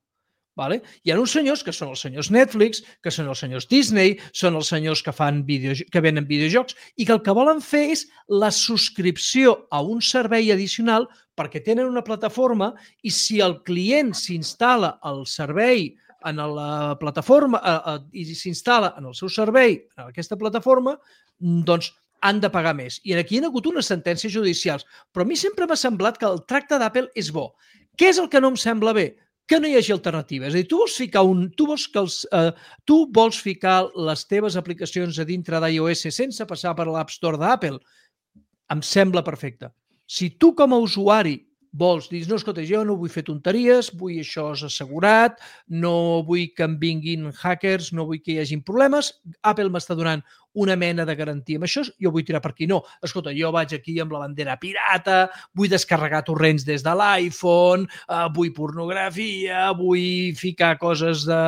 Vale? Hi ha uns senyors que són els senyors Netflix, que són els senyors Disney, són els senyors que venen videojocs i que el que volen fer és la subscripció a un servei addicional perquè tenen una plataforma i si el client s'instal·la al servei en la plataforma i s'instal·la en el seu servei, en aquesta plataforma, doncs han de pagar més. I aquí hi ha hagut unes sentències judicials. Però a mi sempre m'ha semblat que el tracte d'Apple és bo. Què és el que no em sembla bé? Que no hi hagi alternativa. És a dir, tu vols ficar les teves aplicacions a dintre d'iOS sense passar per l'App Store d'Apple? Em sembla perfecte. Si tu com a usuari vols dir, no, escolta, jo no vull fer tonteries, vull això assegurat, no vull que em vinguin hackers, no vull que hi hagin problemes, Apple m'està donant una mena de garantia amb això, jo vull tirar per aquí. No, escolta, jo vaig aquí amb la bandera pirata, vull descarregar torrents des de l'iPhone, vull pornografia, vull ficar coses de...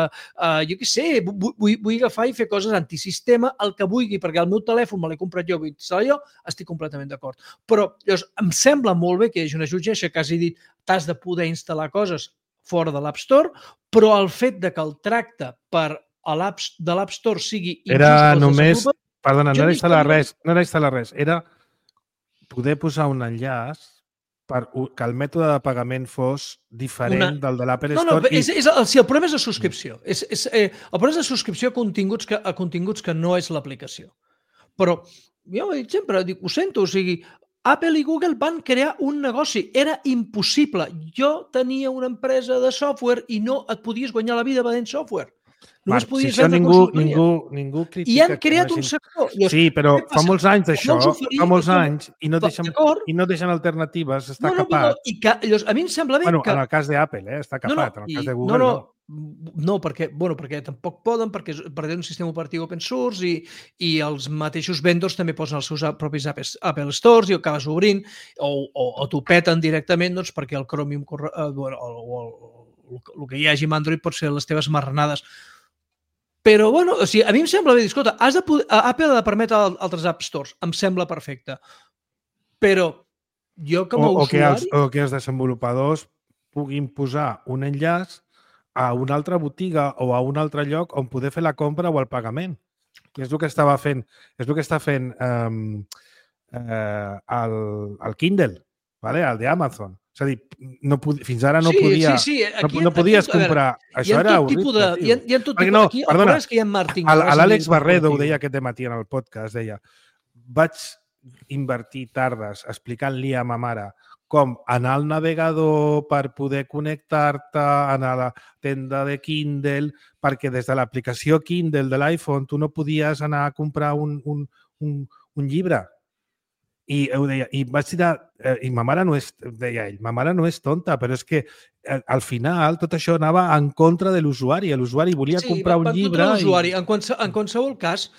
jo què sé, vull agafar i fer coses antisistema, el que vulgui, perquè el meu telèfon me l'he comprat jo, vull instal·lar jo, estic completament d'acord. Però llavors, em sembla molt bé que hi hagi una jutgessa que hagi dit t'has de poder instal·lar coses fora de l'App Store, però el fet de que el tracte de l'App Store sigui... Era només... Perdona, no era instal·lar res. Era poder posar un enllaç que el mètode de pagament fos diferent del de l'Apple Store. Sí, el problema és la subscripció. El problema és la subscripció a continguts que no és l'aplicació. Però jo ho he dit sempre, ho sento, o sigui, Apple i Google van crear un negoci. Era impossible. Jo tenia una empresa de software i no et podies guanyar la vida venent software. Només podies vendre consultoria. Ningú critica. I han creat un sector. Sí, però fa molts anys d'això, fa molts anys, i no deixen alternatives, està capat. A mi em sembla bé que... En el cas d'Apple, està capat. En el cas de Google, no. No, perquè tampoc poden, perquè tenen un sistema operatiu open source i els mateixos vendors també posen els seus propis Apple Stores i ho acabes obrint o t'ho peten directament perquè el Chromium o el que hi hagi amb Android pot ser les teves marranades. Però, o sigui, a mi em sembla bé dir, escolta, Apple ha de permetre altres App Stores. Em sembla perfecte. Però jo com a usuari... O que els desenvolupadors puguin posar un enllaç a una altra botiga o a un altre lloc on poder fer la compra o el pagament. I és el que estava fent, el Kindle, vale? El d'Amazon. És a dir, fins ara no podia... Sí. Aquí, no podies comprar... Això era horrible, tio. Hi ha tot Perquè tipus... Aquí, perdona, és que hi ha martingales... l'Àlex Barredo ho deia aquest matí en el podcast, deia, vaig invertir tardes explicant-li a ma mare com anar al navegador per poder connectar-te, anar a la tenda de Kindle, perquè des de l'aplicació Kindle de l'iPhone tu no podies anar a comprar un llibre. I ho deia, i vaig dir, i ma mare no és, deia ell, ma mare no és tonta, però és que al final tot això anava en contra de l'usuari. L'usuari volia comprar un llibre. En qualsevol cas,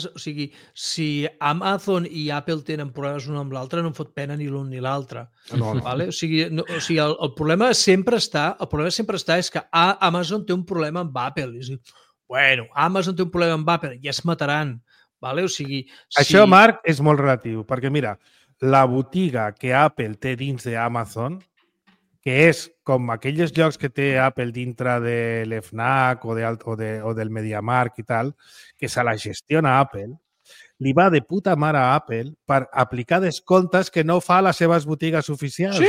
o sigui, si Amazon i Apple tenen problemes un amb l'altre, no em fot pena ni l'un ni l'altre. No. Vale? O sigui, el problema sempre està, és que Amazon té un problema amb Apple. És a dir, bueno, Amazon té un problema amb Apple, ja es mataran. Vale? O sigui, això, Marc, és molt relatiu, perquè mira, la botiga que Apple té dins d'Amazon, que és com aquells llocs que té Apple dintre de l'FNAC o del MediaMarkt i tal, que se la gestiona Apple, li va de puta mare a Apple per aplicar descomptes que no fa a les seves botigues oficials. Sí.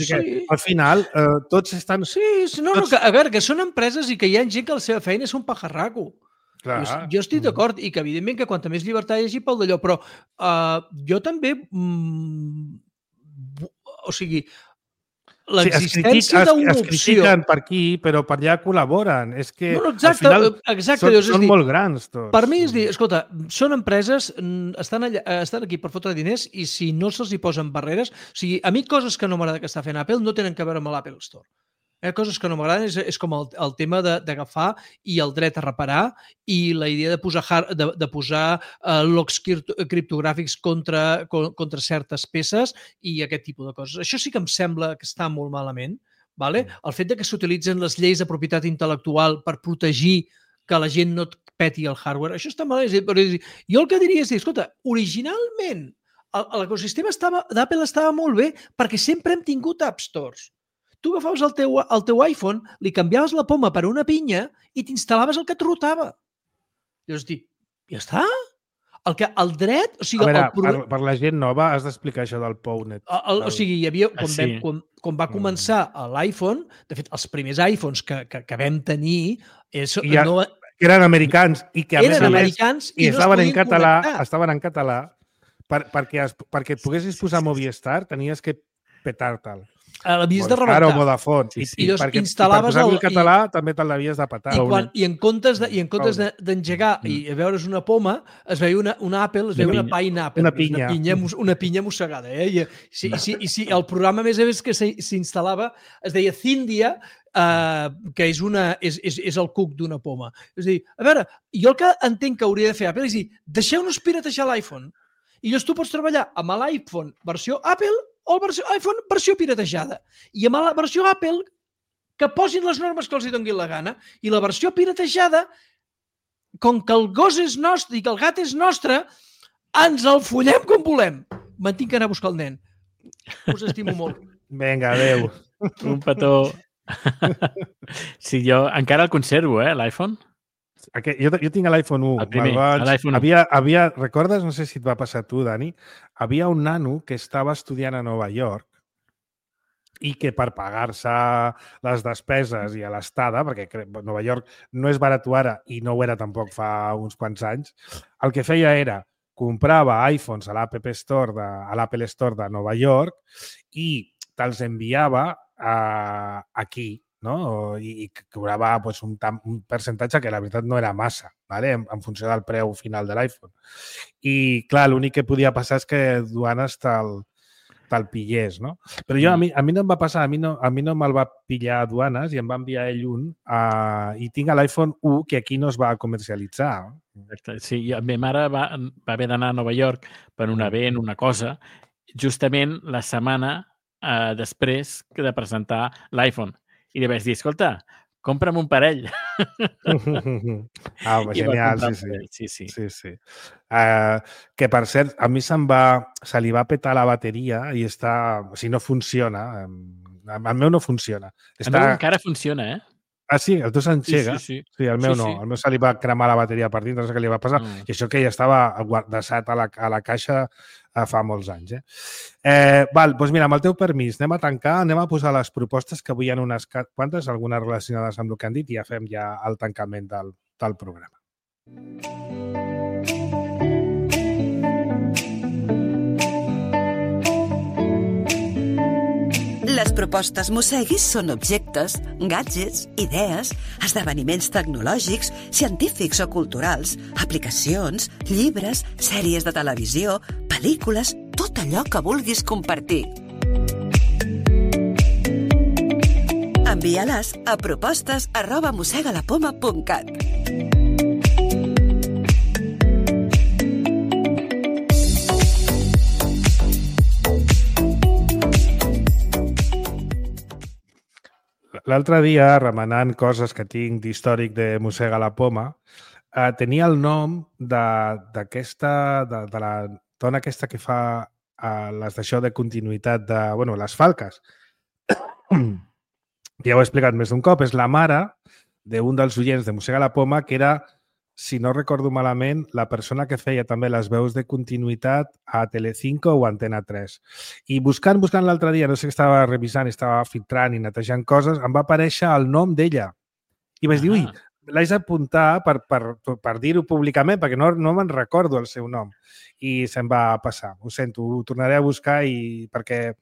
Que, al final, tots estan... A veure, que són empreses i que hi ha gent que la seva feina és un pajarraco. Clar. Jo estic d'acord i que evidentment que quanta més llibertat hi hagi pel d'allò, però jo també o sigui l'existència d'una opció... Es critiquen per aquí, però per allà col·laboren. És que exacte, al final són molt grans tots. Per mi és dir, escolta, són empreses, estan aquí per fotre diners i si no se'ls hi posen barreres... O sigui, a mi coses que no m'agrada que està fent Apple no tenen que veure amb l'Apple Store. Coses que no m'agraden és com el tema d'agafar i el dret a reparar i la idea de posar logs criptogràfics contra certes peces i aquest tipus de coses. Això sí que em sembla que està molt malament. Vale? El fet de que s'utilitzen les lleis de propietat intel·lectual per protegir que la gent no et peti el hardware, això està malament. Jo el que diria és dir, escolta, originalment l'ecosistema d'Apple estava molt bé perquè sempre hem tingut App Stores. Tu agafaves el teu iPhone, li canviaves la poma per una pinya i t'instal·laves el que et rotava. Llavors dic, ja està? El dret... O sigui, per la gent nova has d'explicar això del PowNet. O sigui, hi havia... Quan va començar l'iPhone, de fet, els primers iPhones que vam tenir... Que eren americans i que a més estaven en català perquè et poguessis posar Movistar tenies que petar-te'l. L'havies de rebentar. O Vodafone. I perquè per posar-li el català també te l'havies de petar. I en comptes d'engegar i veure's una poma, es veia una Apple, es veia una pineapple. Una pinya mossegada. I el programa, més a més, que s'instal·lava es deia Zindia, que és el cuc d'una poma. És a dir, a veure, jo el que entenc que hauria de fer Apple és dir, deixeu-nos piratejar l'iPhone. I llavors tu pots treballar amb l'iPhone versió Apple o iPhone versió piratejada. I amb la versió Apple que posin les normes que els hi donguin la gana i la versió piratejada, com que el gos és nostre i que el gat és nostre, ens el follem com volem. Me'n tinc que anar a buscar el nen. Us estimo molt. Vinga, adeu. Un petó. Sí, jo encara el conservo, l'iPhone. Jo tinc l'iPhone 1. El primer, l'iPhone 1. Recordes, no sé si et va passar a tu, Dani, havia un nano que estava estudiant a Nova York i que per pagar-se les despeses i a l'estada, perquè Nova York no és barat ara i no ho era tampoc fa uns quants anys, el que feia era comprava iPhones a l'Apple Store de Nova York i te'ls enviava aquí, no? I cobrava un percentatge que la veritat no era massa, ¿vale? En funció del preu final de l'iPhone. I clar, l'únic que podia passar és que duanes te'l pillés, no? Però a mi no em va passar, a mi no me'l va pillar a duanes i em va enviar ell un i tinc l'iPhone 1 que aquí no es va comercialitzar. Exacte. Sí, la meva mare va haver d'anar a Nova York per un event, una cosa, justament la setmana després de presentar l'iPhone. I li vaig dir, escolta, compra'm un parell. Genial, sí. Que, per cert, a mi se li va petar la bateria i no funciona. El meu no funciona. El meu encara funciona, Ah, sí? El teu s'enxega? Sí. Sí, el meu Sí, no. sí. El meu se li va cremar la bateria per dintre, no sé què li va passar. Mm. I això que ja estava guardasat a la caixa fa molts anys. Val, doncs mira, amb el teu permís, anem a tancar, anem a posar les propostes, que avui hi ha unes quantes, algunes relacionades amb el que han dit, i ja fem ja el tancament del programa. Les propostes Mosseguis són objectes, gadgets, idees, esdeveniments tecnològics, científics o culturals, aplicacions, llibres, sèries de televisió, pel·lícules, tot allò que vulguis compartir. Envia-les a propostes@mossegalapoma.cat. L'altre dia, remenant coses que tinc d'històric de Mossega la Poma, tenia el nom d'aquesta, de la dona aquesta que fa les d'això de continuïtat de, bueno, les falques. Ja ho he explicat més d'un cop, és la mare d'un dels oients de Mossega la Poma, que era, si no recordo malament, la persona que feia també les veus de continuïtat a Telecinco o Antena 3. I buscant l'altre dia, no sé què estava revisant, estava filtrant i netejant coses, em va aparèixer el nom d'ella. I vaig dir, ui, l'haig d'apuntar per dir-ho públicament, perquè no me'n recordo el seu nom. I se'm va passar. Ho sento, ho tornaré a buscar perquè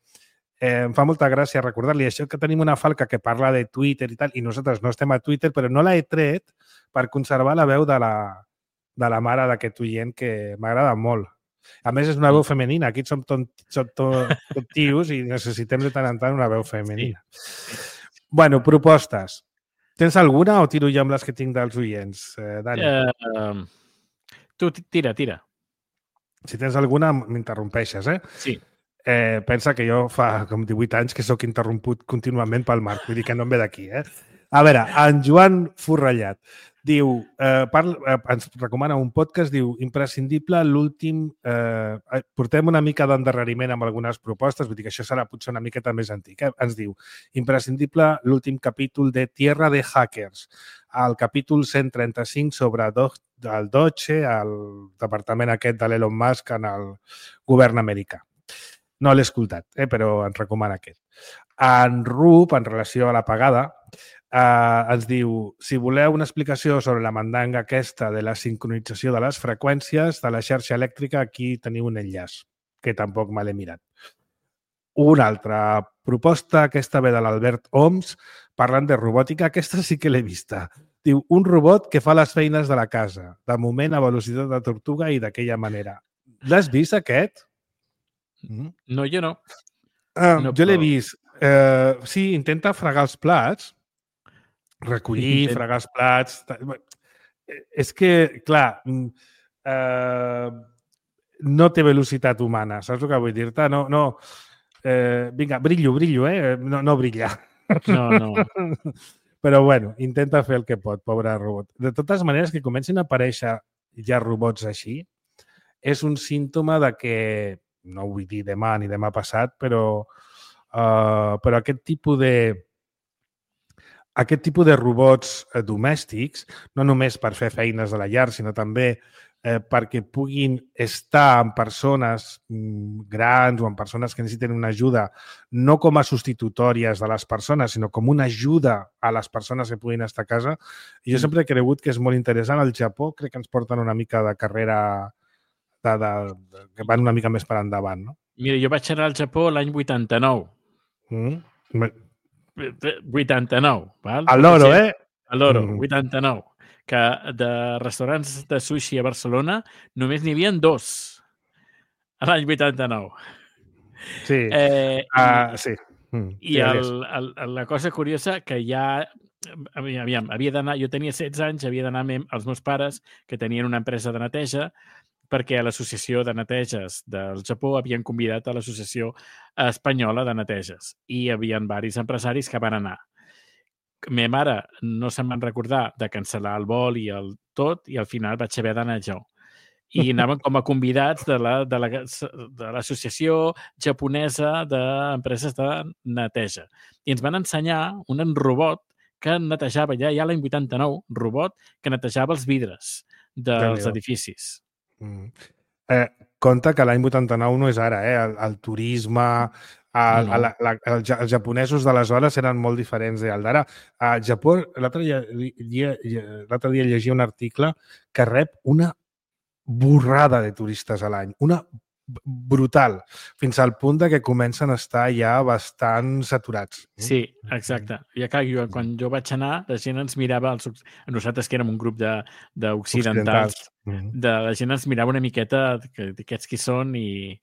em fa molta gràcia recordar-li això, que tenim una falca que parla de Twitter i tal, i nosaltres no estem a Twitter, però no l'he tret per conservar la veu de la mare d'aquest oient, que m'agrada molt. A més, és una veu femenina. Aquí som tot tios i necessitem de tant en tant una veu femenina. Bueno, propostes. Tens alguna o tiro jo amb les que tinc dels oients, Dani? Tu tira. Si tens alguna, m'interrompeixes, eh? Sí. Pensa que jo fa com 18 anys que sóc interromput contínuament pel Marc, vull dir que no em ve d'aquí, eh? A veure, en Joan Forrellat diu, ens recomana un podcast, diu, imprescindible l'últim... portem una mica d'endarreriment amb algunes propostes, vull dir que això serà potser una miqueta més antic. Ens diu, imprescindible l'últim capítol de Tierra de Hackers, el capítol 135 sobre el Deutsche, el departament aquest de l'Elon Musk en el govern americà. No l'he escoltat, però ens recomana aquest. En Rup, en relació a la pagada, ens diu, si voleu una explicació sobre la mandanga aquesta de la sincronització de les freqüències de la xarxa elèctrica, aquí teniu un enllaç, que tampoc me l'he mirat. Una altra proposta, aquesta ve de l'Albert Oms, parlant de robòtica, aquesta sí que l'he vista. Diu, un robot que fa les feines de la casa, de moment a velocitat de tortuga i d'aquella manera. L'has vist, aquest? No, jo no. Jo l'he vist. Sí, intenta fregar els plats, recollir, fregar els plats. És que, clar, no té velocitat humana, saps el que vull dir-te? No, vinga, brillo, no brilla. No. Però, bueno, intenta fer el que pot, pobre robot. De totes maneres, que comencin a aparèixer ja robots així, és un símptoma de que, no vull dir demà ni demà passat, però aquest tipus de robots domèstics, no només per fer feines de la llar, sinó també perquè puguin estar amb persones grans o amb persones que necessiten una ajuda, no com a substitutòries de les persones, sinó com una ajuda a les persones que puguin estar a casa. I jo sempre he cregut que és molt interessant. Al Japó crec que ens porten una mica de carrera que van una mica més per endavant, no? Mira, jo vaig anar al Japó l'any 89. 89, val? A l'oro, eh? A l'oro, 89. Que de restaurants de sushi a Barcelona només n'hi havia 2 a l'any 89. Sí. Sí. I la cosa curiosa que ja... havia d'anar... Jo tenia 16 anys, havia d'anar amb els meus pares, que tenien una empresa de neteja, perquè a l'Associació de Neteges del Japó havien convidat a l'Associació Espanyola de Neteges i hi havia diversos empresaris que van anar. Ma mare no se'n van recordar de cancel·lar el vol i el tot, i al final vaig haver d'anar jo. I anaven com a convidats de l'Associació Japonesa d'Empreses de Neteja. I ens van ensenyar un robot que netejava ja l'any 89, robot que netejava els vidres dels Déu-n'hi-do. edificis. Compte que l'any 89 no és ara, el turisme, No. els japonesos d'aleshores eren molt diferents del d'ara. A Japó, l'altre dia llegia un article que rep una borrada de turistes a l'any, una brutal, fins al punt de que comencen a estar ja bastant saturats. Sí, exacte. I clar, quan jo vaig anar, la gent ens mirava, nosaltres que érem un grup d'occidentals, la gent ens mirava una miqueta d'aquests qui són i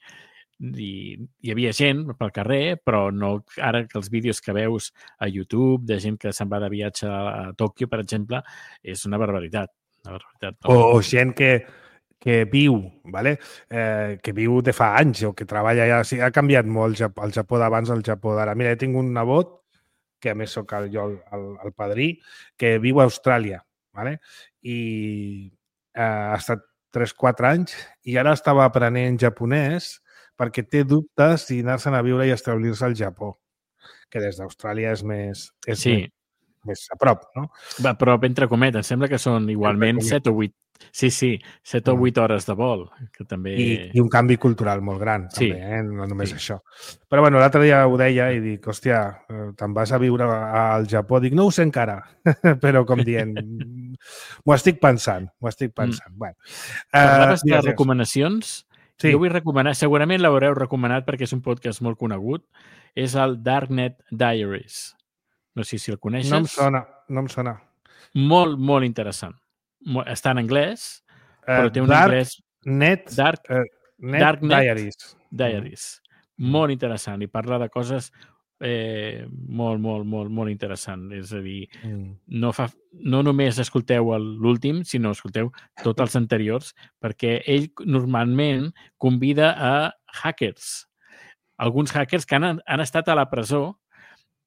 hi havia gent pel carrer, però no ara que els vídeos que veus a YouTube de gent que se'n va de viatge a Tòquio, per exemple, és una barbaritat. O gent que viu, ¿vale? Que viu de fa anys o que treballa ja. Sí, ha canviat molt el Japó d'abans al Japó d'ara. Mira, tinc un nebot, que a més soc jo el padrí, que viu a Austràlia, ¿vale? I ha estat 3-4 anys i ara estava aprenent japonès perquè té dubtes si anar-se'n a viure i establir-se al Japó, que des d'Austràlia és més a prop, no? Va, però entre cometes, sembla que són igualment 7 o 8. Sí, 7 o 8 hores de vol, que també... I un canvi cultural molt gran, també, no només això. Però bueno, l'altre dia ho deia i dic, hòstia, te'n vas a viure al Japó? Dic, no ho sé encara, però com dient, m'ho estic pensant. Bueno, parlaves de recomanacions? Sí. Jo vull recomanar, segurament l'haureu recomanat perquè és un podcast molt conegut, és el Darknet Diaries. No sé si el coneixes. No em sona. Molt, molt interessant. Està en anglès, però té un anglès... Darknet Diaries. Molt interessant. I parla de coses molt interessant. És a dir, no només escolteu l'últim, sinó escolteu tots els anteriors, perquè ell normalment convida a hackers. Alguns hackers que han estat a la presó,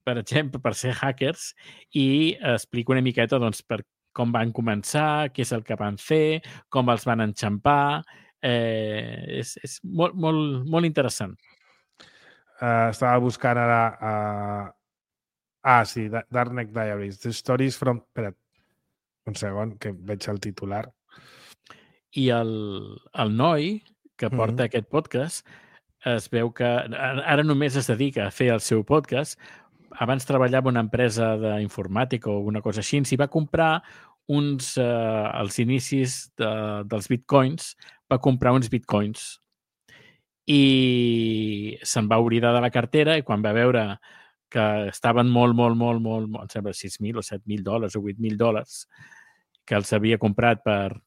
per exemple, per ser hackers, i explica una miqueta doncs, per com van començar, què és el que van fer, com els van enxampar. És molt interessant. Estava buscant ara... sí, Darknet Diaries. The Stories from... Espera't, un segon, que veig el titular. I el noi que porta aquest podcast es veu que ara només es dedica a fer el seu podcast. Abans treballava a una empresa d'informàtica o alguna cosa així, i va comprar als inicis dels bitcoins, va comprar uns bitcoins i se'n va oblidar de la cartera i quan va veure que estaven molt, em sembla $6,000 o $7,000 o $8,000, que els havia comprat per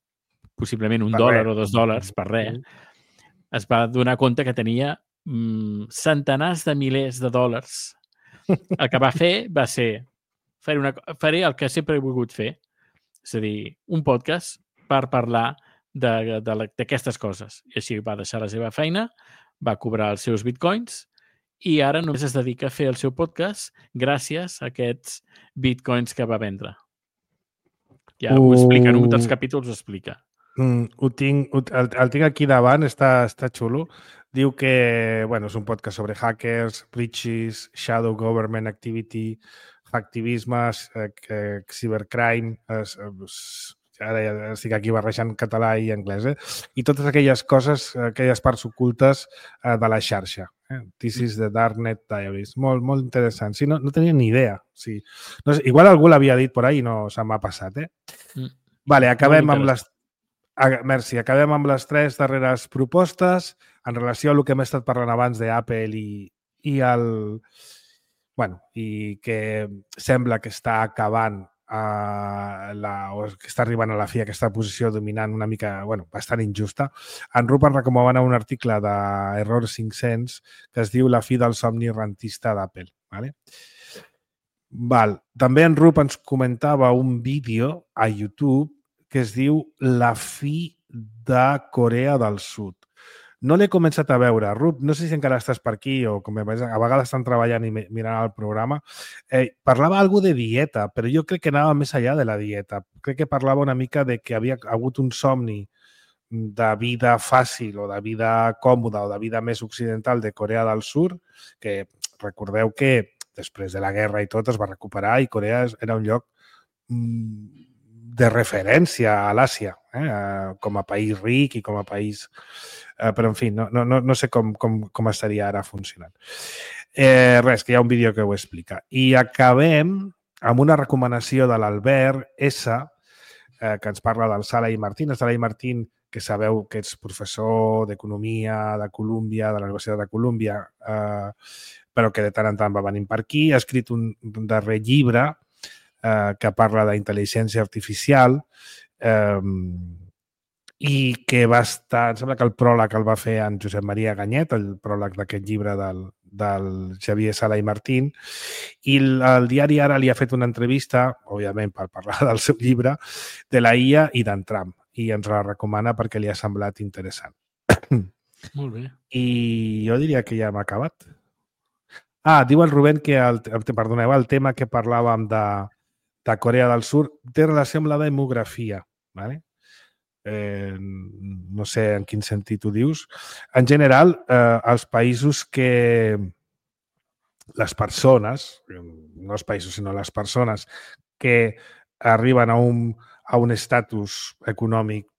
possiblement $1 o $2 per res, es va donar compte que tenia centenars de milers de dòlars. El que va fer va ser faré el que sempre he volgut fer, és a dir, un podcast per parlar d'aquestes coses. I així va deixar la seva feina, va cobrar els seus bitcoins i ara només es dedica a fer el seu podcast gràcies a aquests bitcoins que va vendre. Ja ho explica, en un dels capítols ho explica. El tinc aquí davant, està xulo. Diu que és un podcast sobre hackers, breaches, shadow government activity, hacktivisme, cybercrime, ara ja estic aquí barrejant català i anglès, i totes aquelles coses, aquelles parts ocultes de la xarxa. This is the Darknet Diaries. Molt, molt interessant. Sí, no tenia ni idea. Sí. No sé, igual algú l'havia dit per ahí i no se m'ha passat. Vale, acabem amb les... Merci. Acabem amb les 3 darreres propostes en relació a el que hem estat parlant abans d'Apple i que sembla que està acabant o que està arribant a la fi aquesta posició dominant una mica, bastant injusta. En Rupert recomana un article d'Error 500 que es diu La fi del somni rentista d'Apple. També en Rup ens comentava un vídeo a YouTube que es diu La fi de Corea del Sud. No l'he començat a veure. Rup, no sé si encara estàs per aquí o com a vegades estan treballant i mirant el programa. Parlava alguna de dieta, però jo crec que anava més enllà de la dieta. Crec que parlava una mica de que havia hagut un somni de vida fàcil o de vida còmoda o de vida més occidental de Corea del Sud, que recordeu que després de la guerra i tot, es va recuperar i Corea era un lloc de referència a l'Àsia, com a país ric i com a país... però, en fi, no sé com estaria ara funcionant. Res, que hi ha un vídeo que ho explica. I acabem amb una recomanació de l'Albert S., que ens parla del Sala i Martín. El Sala i Martín, que sabeu que ets professor d'Economia de Colúmbia, de la Universitat de Colúmbia, però que de tant en tant va venint per aquí. Ha escrit un darrer llibre que parla d'intel·ligència artificial i que va estar... Em sembla que el pròleg el va fer en Josep Maria Ganyet, el pròleg d'aquest llibre del Xavier Sala i Martín, i el diari Ara li ha fet una entrevista, òbviament per parlar del seu llibre, de la IA i d'en Trump, i ens la recomana perquè li ha semblat interessant. Molt bé. I jo diria que ja hem acabat. Diu el Rubén que perdoneu, el tema que parlàvem de Corea del Sud té relació amb la demografia, ¿vale? No sé en quin sentit ho dius. En general, els països que les persones, no els països sinó les persones que arriben a un estatus econòmic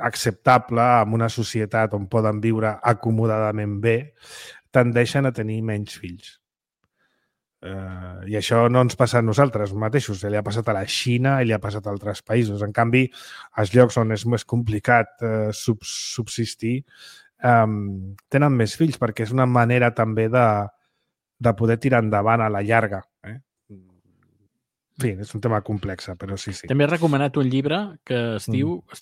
acceptable, amb una societat on poden viure acomodadament bé, tendeixen a tenir menys fills. I això no ens passa a nosaltres mateixos, li ha passat a la Xina i li ha passat a altres països. En canvi, als llocs on és més complicat subsistir, tenen més fills, perquè és una manera també de poder tirar endavant a la llarga. En fi, és un tema complex, però sí. També he recomanat un llibre que es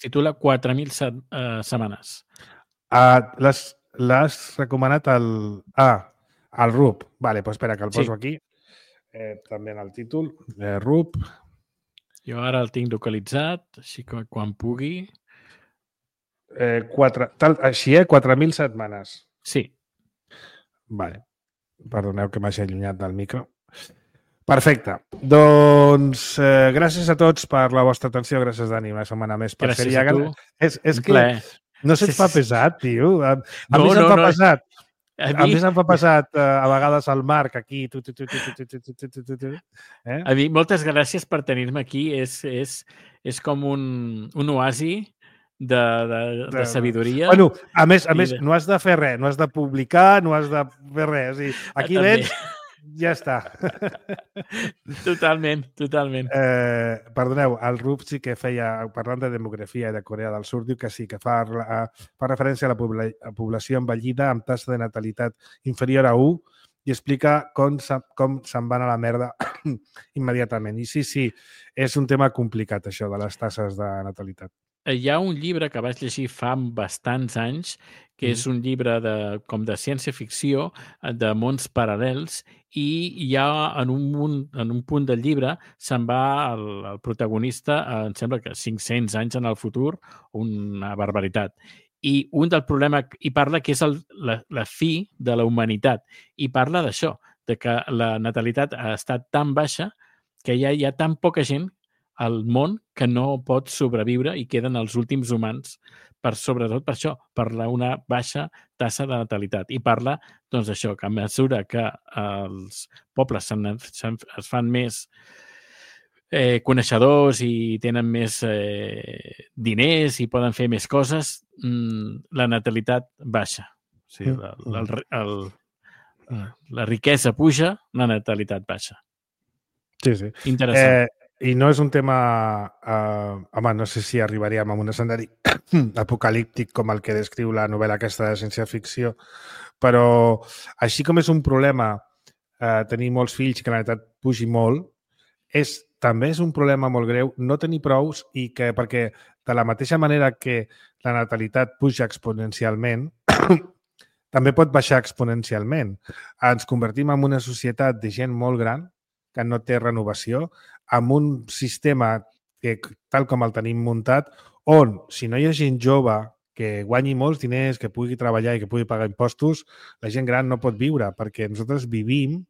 titula 4.000 setmanes. L'has recomanat al RUP. Vale, doncs espera, que el poso aquí. També en el títol. RUP. Jo ara el tinc localitzat, així que quan pugui... Així, 4.000 setmanes. Sí. Vale. Perdoneu que m'hagi allunyat del micro. Perfecte. Doncs gràcies a tots per la vostra atenció. Gràcies, Dani, una setmana més. Gràcies a tu. És que no se't fa pesat, tio. A mi se'm fa pesat. A mi se'm fa passat a vegades al Marc aquí. A mi, moltes gràcies per tenir-me aquí. És com un oasi de sabidoria. Bueno, a més, no has de fer res, no has de publicar, no has de fer res. O sigui, aquí vens, ja està. Totalment. Perdoneu, el RUP sí que feia, parlant de demografia i de Corea del Sud, diu que sí, que fa referència a la població envellida amb taxa de natalitat inferior a 1 i explica com se'n van a la merda immediatament. I sí, és un tema complicat, això de les tasses de natalitat. Hi ha un llibre que vaig llegir fa bastants anys, que és un llibre com de ciència-ficció, de mons paral·lels, i ja en un punt del llibre se'n va el protagonista, em sembla que 500 anys en el futur, una barbaritat. I un del problema, i parla que és la fi de la humanitat, i parla d'això, de que la natalitat ha estat tan baixa que ja hi ha tan poca gent al món que no pot sobreviure i queden els últims humans, sobretot per això, per una baixa tassa de natalitat. I parla, doncs, això, que a mesura que els pobles es fan més coneixedors i tenen més diners i poden fer més coses, la natalitat baixa. O sigui, la riquesa puja, la natalitat baixa. Sí. Interessant. I no és un tema... home, no sé si arribaríem a un escenari apocalíptic com el que descriu la novel·la aquesta de ciència-ficció, però així com és un problema tenir molts fills i que la natalitat pugi molt, també és un problema molt greu no tenir prous i que, perquè de la mateixa manera que la natalitat puja exponencialment, també pot baixar exponencialment. Ens convertim en una societat de gent molt gran que no té renovació, amb un sistema que, tal com el tenim muntat, on, si no hi ha gent jove que guanyi molts diners, que pugui treballar i que pugui pagar impostos, la gent gran no pot viure, perquè nosaltres vivim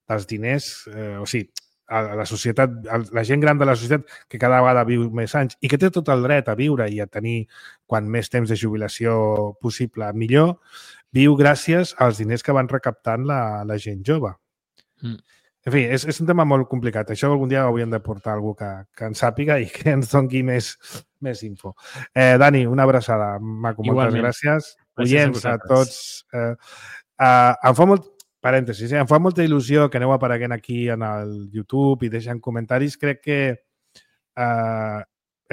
dels diners, o sigui, la societat, la gent gran de la societat que cada vegada viu més anys i que té tot el dret a viure i a tenir quan més temps de jubilació possible millor, viu gràcies als diners que van recaptant la gent jove. En fi, és un tema molt complicat. Això algun dia hauríem de portar algú que en sàpiga i que ens doni més info. Dani, una abraçada, maco. Moltes gràcies. Oients a tots. Em fa molt... Parèntesis, em fa molta il·lusió que aneu apareguent aquí en el YouTube i deixant comentaris. Crec que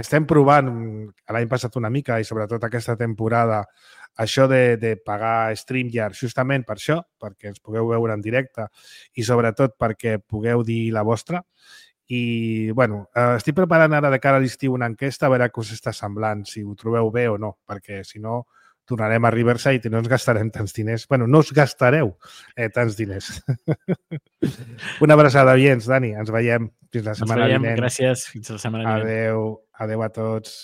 estem provant l'any passat una mica i sobretot aquesta temporada això de pagar StreamYard justament per això, perquè ens pugueu veure en directe i sobretot perquè pugueu dir la vostra. I, bueno, estic preparant ara de cara a l'estiu una enquesta a veure què us està semblant, si ho trobeu bé o no, perquè si no tornarem a Riverside i no ens gastarem tants diners. Bueno, no us gastareu tants diners. Una abraçada, oients, Dani. Ens veiem fins la setmana vinent. Gràcies. Fins la setmana vinent. Adéu. Adéu a tots.